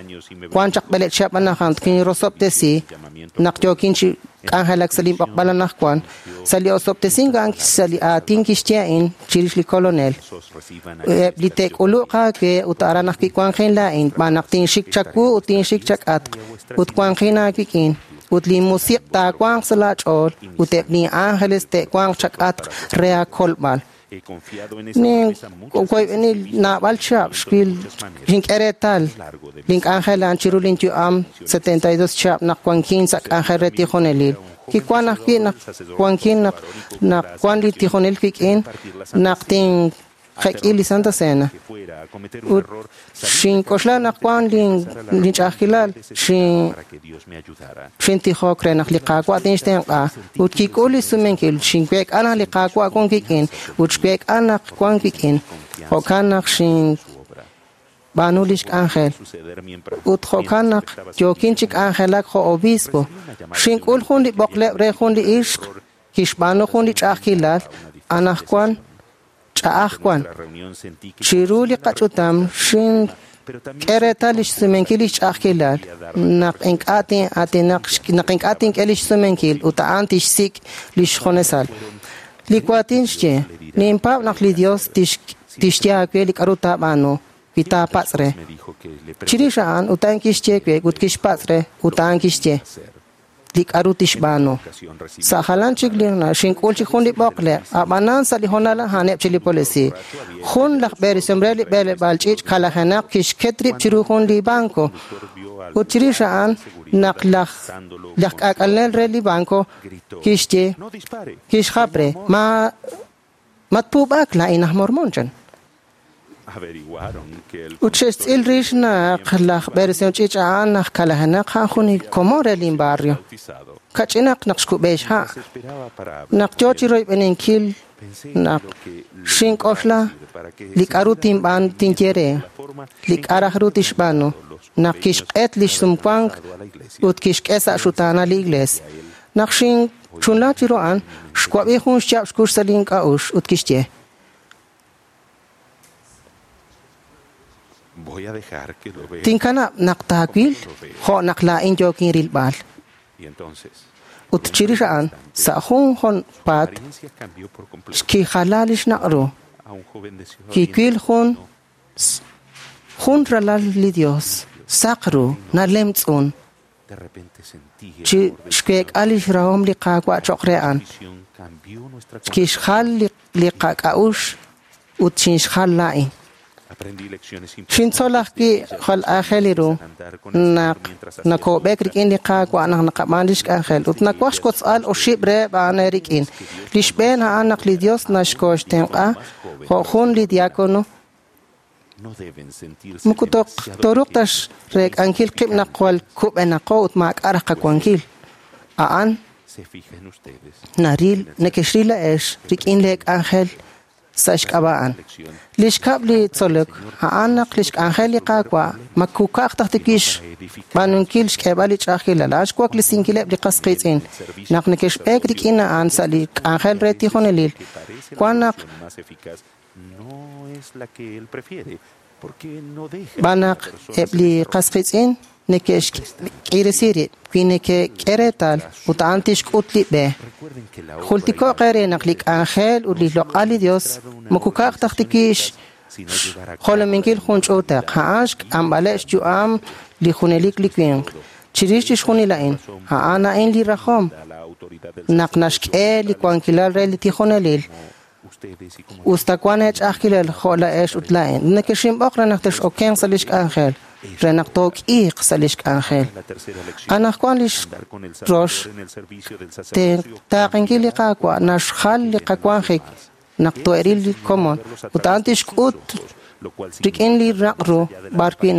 Wan chaq b'eleb' chihab' anajwan kinrosob'tesi naq yookin chi k'anjelak sa' linb'oqb'al anajwan. Sa' li osob'tesink a'an sa' li aatin kixye a'in chirix li Kolonel. Eb' li te'k'uluq aawe ut aran ajwi' wanqin laa'in, b'an naq tinxik chawu ut tinxik chak'atq ut wanqin aawik'in. Ut li musiq' taawanq sa' laach'ool ut eb' li ángeles te'wanq chak'atq re aakolb'al. Nin woyb'eni naab'al chihab' xwil xink'e reetal link'anjel a'an chiru linyu'am 72 chihab' naq wankin sa' k'anjel re tijonelil. Kiwan ajwi' naq wankin naq naq wan li tijonel wik'in naq tinjek'i li Santa Cena. Ut xink'oxla naq wan linch'a'ajkilal xintijok re naq li Qaawa' tinxtenq'a ut kik'ul li sumenkil xinweek'a naq li Qaawa' wan wik'in ut xweek'a naq wan wik'in. Jo'kan naq xinb'aanu lix k'anjel. Ut jo'kan naq yookin chi k'anjelak jo' obispo. Xink'ul jun li b'oqleb' re jun li ixq kixb'aanu jun li ch'a'ajkilal anajwan ch'a'aj wan. Chiru li qach'utam xink'e reetal lix sumenkil lix ch'a'ajkilal naq ink'a' tin'aatinaq naq ink'a' tink'e lix sumenkil ut a'an tixsik' lix junesal. Li waatin xye, ninpaab' naq li Dios tixye aawe li k'aru taab'aanu wi taapatz' re. Chirix a'an ut a'an kixye we ut kixpatz' re ut a'an kixye li k'aru tixb'aanu. Sa' jalan chik li xink'ul chik jun li b'oqleb', ab'anan sa' li hoonal a'aneb' chi li polisiiy. Jun laj b'eresim re li b'eleb'aal ch'iich' kalajenaq kixket rib' chiru jun li banco. Ut chirix a'an naq laj k'aak'alenel re li banco kixye kixjap re ma matpuub'aak laa'in aj mormon chan. Ut xe'xtz'il rix naq laj b'eresim ch'iich' a'an naq kalajenaq a'an jun li komon re linbarrio. Kach'inaq naq xkub'e xha'. Naq yoo chi royb'eninkil naq xink'oxla li k'aru tinb'aan tinye re, li k'a' raj ru tixb'aanu, naq kixq'et lix sumwank ut kixk'e sa' xutaanal li iglees. Naq xinchunla chiru a'an, xwab'i jun xyaab' xkux sa' link'a'uxl ut kixye, Tinkanab' naq taawil jo' naq laa'in yookin rilb'al. Ut chirix a'an, sa' jun junpaat xkijala lix naq' ru. Kiwil jun ralal li Dios, saq ru, nalemtz'un. Chi xweek'a lix rahom li Qaawa' choq' re a'an. Kixjal li qak'a'uxl ut xinxjal laa'in. Xintzol ajwi' jwal aajel ru naq nakob'ek rik'in li Qaawa' naq naqab'aan lix k'anjel ut nawaj xkotz'al oxib' reheb' a'an eerik'in. Li xb'een a'an naq li Dios naxkoxtenq'a jo' jun li diácono moko toruq ta xreek'ankil qib' naq jwal kub'enaqo ut maak'a' raj qawankil. A'an naril nekexril la'ex rik'in lee k'anjel sa' xk'ab'a' a'an. Li xkab' li tzolok a'an naq li xk'anjel li Qaawa' makuka'aj taj tikix xb'aanunkil xk'eeb'al li ch'a'ajkilal, a'an xwaklesinkileb' li qas qiitz'in. Naq nekexb'eek rik'in a'an sa' li k'anjel re tijonelil, wan naq b'an naq eb' li qas qiitz'in neke'xk'iresi rib' wi neke'k'e reetal ut a'an tixk'ut li b'e. Jultiko'q eere naq li k'anjel ut li loq'al li Dios moko ka'aj taj tikix xjolominkil jun ch'uutaq, a'an xk'amb'aleb' xyu'am li junelik li winq. Chirix chixjunil a'in, a'an a'in li rajom naq naxk'e li wankilal re li tijonelil. Usta wan eech'a'ajkilal jo' la'ex ut laa'in. Nekexinb'oq re naq tex'okenq sa' lix k'anjel, re naq took'iiq sa' lix k'anjel. Anaqwan lix rox taaqenkil li Qaawa' naxjal li qawanjik naq to'eril li komon ut a'an tixk'ut rik'in li raq' ru b'ar wi'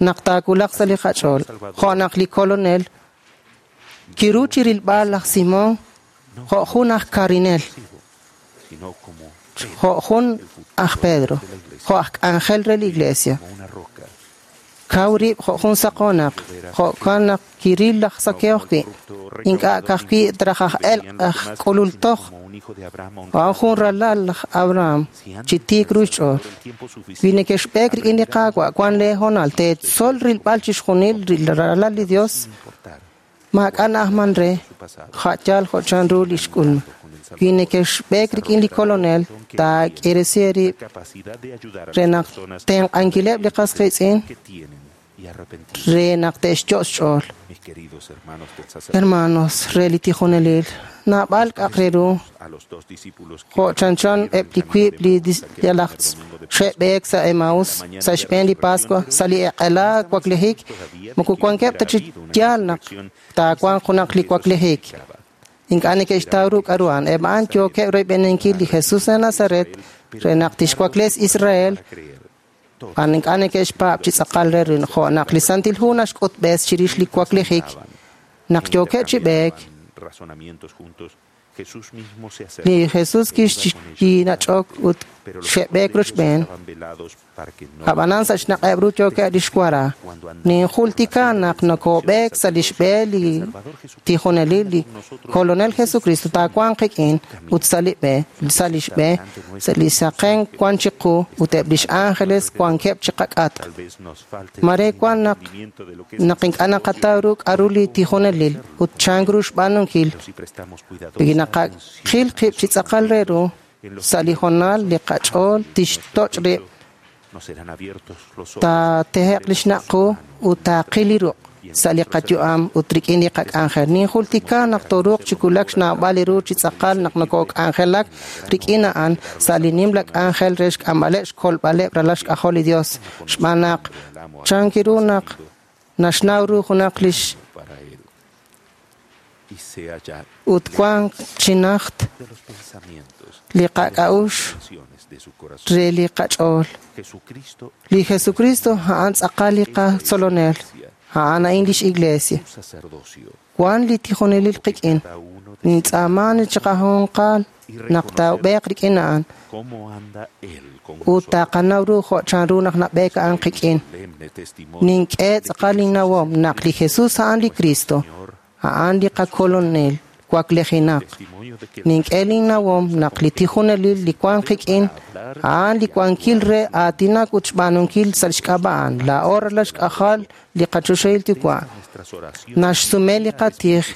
naq taawulaq sa' li qach'ool, jo' naq li Kolonel kiru chi rilb'al laj Simón jo' jun aj karinel, jo' jun aj Pedro, jo' aj k'anjel re li Iglesia. Kaw rib' jo' jun saqoonaq, jo'kan naq kiril laj Zaqueo ajwi', ink'a' ka'ajwi' traj aj elq' aj k'ulul toj, a'an jun ralal laj Abraham chi tiik ru xch'ool. Wi nekexb'eek rik'in li Qaawa' wan lee hoonal teetzol rilb'al chixjunil li ralal li Dios, maak'a' na'ajman re, ja' yaal jo' chanru li xk'ulma. Wi nekexb'eek rik'in li Kolonel, taak'iresi eerib' re naq tenq'ankileb' li qas qiitz'in re naq te'xyo' xch'ool. Hermanos re li tijonelil, naab'al k'a'aq re ru jo' chanchan eb' li wiib' li yalaj xe'b'eek sa' Emaús sa' xb'een li Pascua sa' li eq'ela waklijik, moko wankeb' ta chi yaal naq taawanq junaq li waklijik. Ink'a' neke'xtaw ru k'a'ru a'an. Eb' a'an yookeb' royb'eninkil li Jesus re Nazaret re naq tixwakles Israel. A'an ink'a' neke'xpaab' chi tz'aqal re ru jo' naq li Santil Hu naxk'utb'es chirix li waklijik naq yookeb' chi b'eek. Li Jesus kinach'ok ut xe'b'eek rochb'een. Ab'anan sa' xnaq'eb' ru yookeb' lix wara. Ninjultika naq nokob'eek sa' lix b'e li tijonelil li Kolonel Jesucristo taawanq qik'in ut sa' li b'e, sa' lix b'e, sa' li saqen wan chiqu ut eb' lix ángeles wankeb' chiqak'atq. Mare wan naq ink'a' naqataw ru k'a'ru li tijonelil ut chank ru xb'aanunkil. Wi naqaqil qib' chi tz'aqal re ru sa' li hoonal li qach'ool tixtoch' rib', taateheq li xnaq' qu ut taaqil li ruq' sa' li qayu'am ut rik'in li qak'anjel. Ninjultika naq tooruuq chi wulak xnawb'al li ru chi tz'aqal naq nokok'anjelak rik'in a'an sa' li nimla k'anjel re xk'amb'aleb' xkolb'aleb' ralal xk'ajol li Dios, xb'aan naq chank ru naq naxnaw ru junaq lix ut wank chi najt li qak'a'uxl re li qach'ool. Li Jesucristo a'an tz'aqal li qatzolonel, a'an a'in lix Iglesia. Wan li tijonelil qik'in, nintz'aaman chiqajunqal naq taab'eeq rik'in a'an ut taqanaw ru jo' chanru naq nab'eek a'an qik'in. Nink'e tz'aqal linnawom naq li Jesus a'an li Cristo, a'an li qakolonel waklijinaq. Nink'e linnawom naq li tijonelil li wan qik'in a'an li wankil re aatinak ut xb'aanunkil sa' xk'ab'a' a'an. Laa'o ralal xk'ajol li qachoxahil Yuwa' naxsume li qatij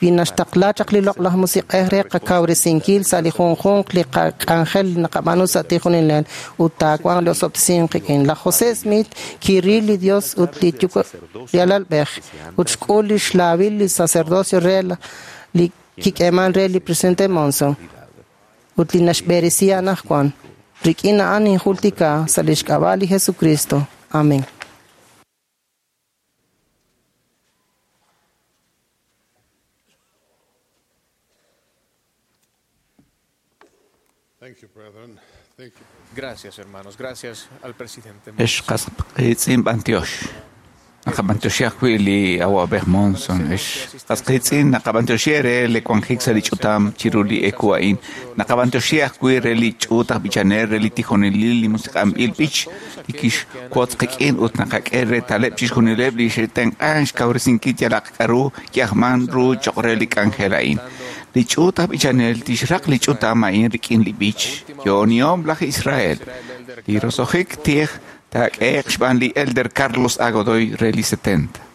wi naxtaqla chaq li loq'laj musiq'ej re qakawresinkil sa' li junjunq li qak'anjel naqab'aanu sa' tijonelil ut taawanq li osob'tesink qik'in. Laj José Smith kiril li Dios ut li li alalb'ej ut xk'ul li xlaawil li sacerdocio re li kik'eeman re li presidente Monson ut li naxb'eresi anaqwan. Rik'in a'an ninjultika sa' lix k'ab'a' li Jesucristo. Amén. Thank you, brethren. Thank you. Gracias, hermanos. Gracias al presidente. Ex qasqiitz'in b'antiox. Naqab'antioxi ajwi' li awa'b'ej Monson. Ex qasqiitz'in naqab'antioxi re li wanjik sa' li ch'utam chiru li eku a'in. Naqab'antioxi ajwi' re li ch'uut aj b'ichanel re li tijonelil li musiq'anb'il b'ich li kixwotz qik'in ut naqak'e reetaleb' chixjunileb' li xe'tenq'an xkawresinkil yalaq k'a'ru ki'ajman ru cho'q re li k'anjel a'in. Li ch'uut aj b'ichanel tixraq li ch'utam a'in rik'in li b'ich yo'onihom laj Israel. Li roso'jik tij taak'ehe'q xb'aan li Elder Carlos A. Godoy re li 70.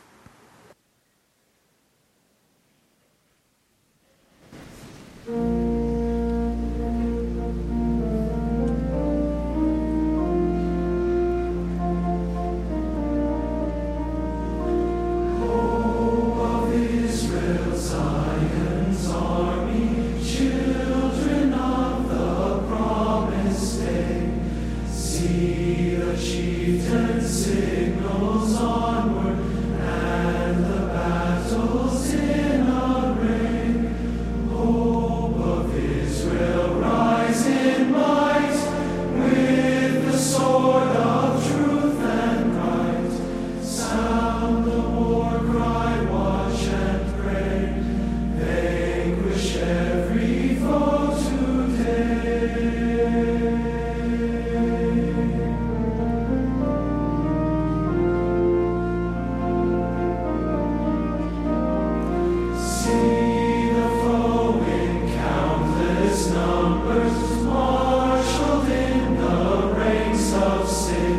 numbers, marshaled in the ranks of sin.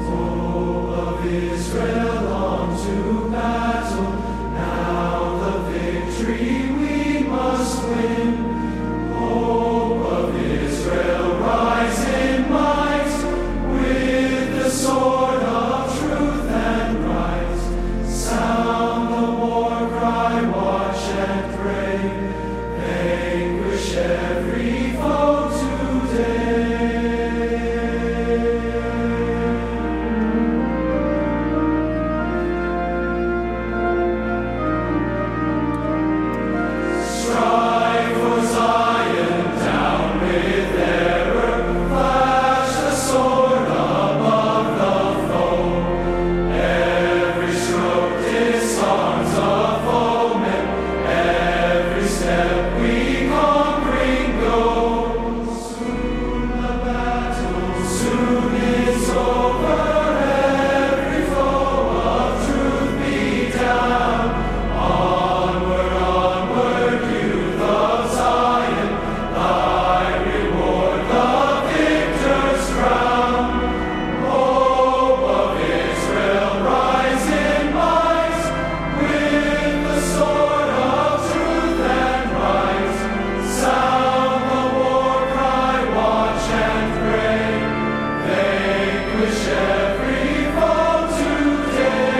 Hope of Israel, on to battle, now the victory we must win. Hope of Israel, rise in might, with the sword of truth and right. Sound the war cry, watch and pray, vanquish every foe today. Strive for Zion, down with error, flash the sword above the foe. Every stroke disarms a foeman, every step we conquering go. Soon the battle, soon is over, every foe of truth be down. Onward, onward, youth of Zion, thy reward, the victor's crown. Hope of Israel, rise in might, with the sword of truth and right. Sound the war cry, watch and pray, vanquish every foe today.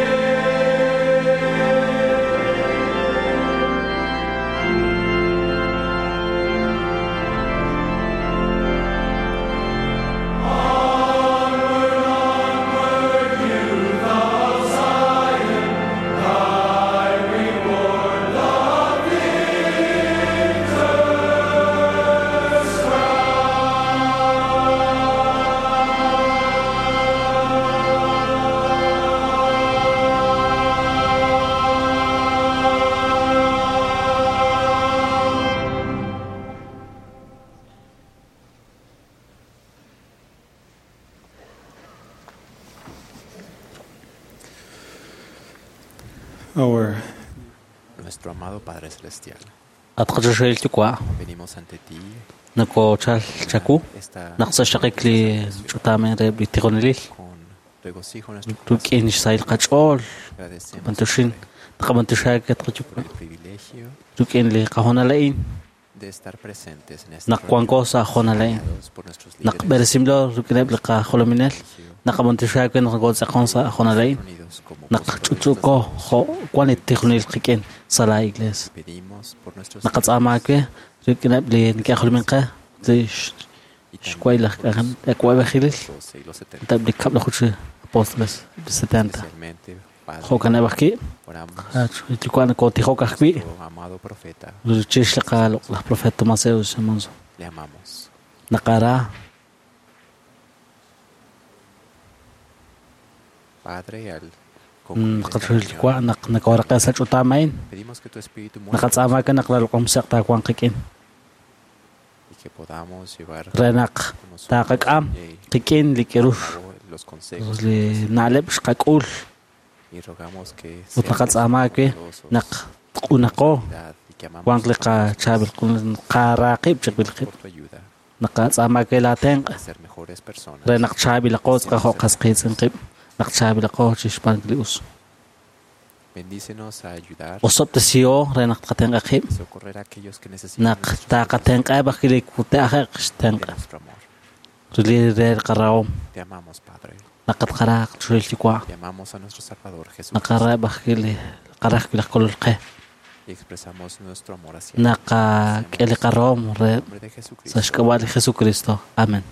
Onward, onward, youth of Zion, thy reward, the victor's Our Nuestro amado Padre Celestial, At qachoxahil yuwa' venimos ante ti nakochal chaku naq sa xaqik li ch'utamen re li tijonelil con regocijo en nuestro ruk'in xsahil qach'ool Agradecemos qapantuxin taqapantuxaak tqachukwa el privilegio ruk'in li qajonala'in de estar presentes en esta naq wanko sa jonala'in naq b'eresimlo ruk'ineb' li qajolominel naqapantuxaak naq kotz'aqon sa jonala'in naq ch'uch'uko jo wan li tijonelil qik'in sa la iglesia Pedimos por nuestros naqatz'amaak ruk'ineb' li neke'ajolomin qe li xway laj k'awab'ejilil tab' li kab'laj uch apóstoles li 70 especialmente, Padre, jo'kaneb' ajwi' oramos yuwa' nakotijok ajwi' nuestro amado profeta, chix li qaloq' laj profeta Tomás Monzo le amamos. naqara Padre, al concluir esta naqachoxil reunión, yuwa' naq nakooraqe sa ch'utaamain pedimos que tu espíritu mueva naqatz'amaak naq lalq'omseq taawanq qik'in y que podamos llevar re naq con nosotros taqak'am y qik'in li k'erux a cabo los consejos li na'leb' xqak'ul y rogamos que ut seamos naqatz'amaak bondadosos, naq q'unaqo humildad y que amamos wanq li qachaab'il qaraaqib' chiqb'il qib' por tu ayuda naqatz'amaak laatenq' a ser mejores personas. re naq chaab'ilaqo tz'aqajo qasqiitz'in qib' naq chaab'ilaqo chixb'aan li us Bendícenos a ayudar osob'tesio re naq tqatenq'aqib' y socorrer a aquellos que necesitan naq nuestro taqatenq'eb' ajwi' li kute'ajeq xtenq' de nuestro amor. rili re qarahom Te amamos, Padre. naqatqaraaq churil yuwa' Te amamos a nuestro Salvador Jesucristo naqareb' ajwi' li qaraj wi' laj kolol qe y expresamos nuestro amor hacia naqak'e li qarahom re nombre de Jesucristo. sa xk'ab'a' li Jesucristo. Amén.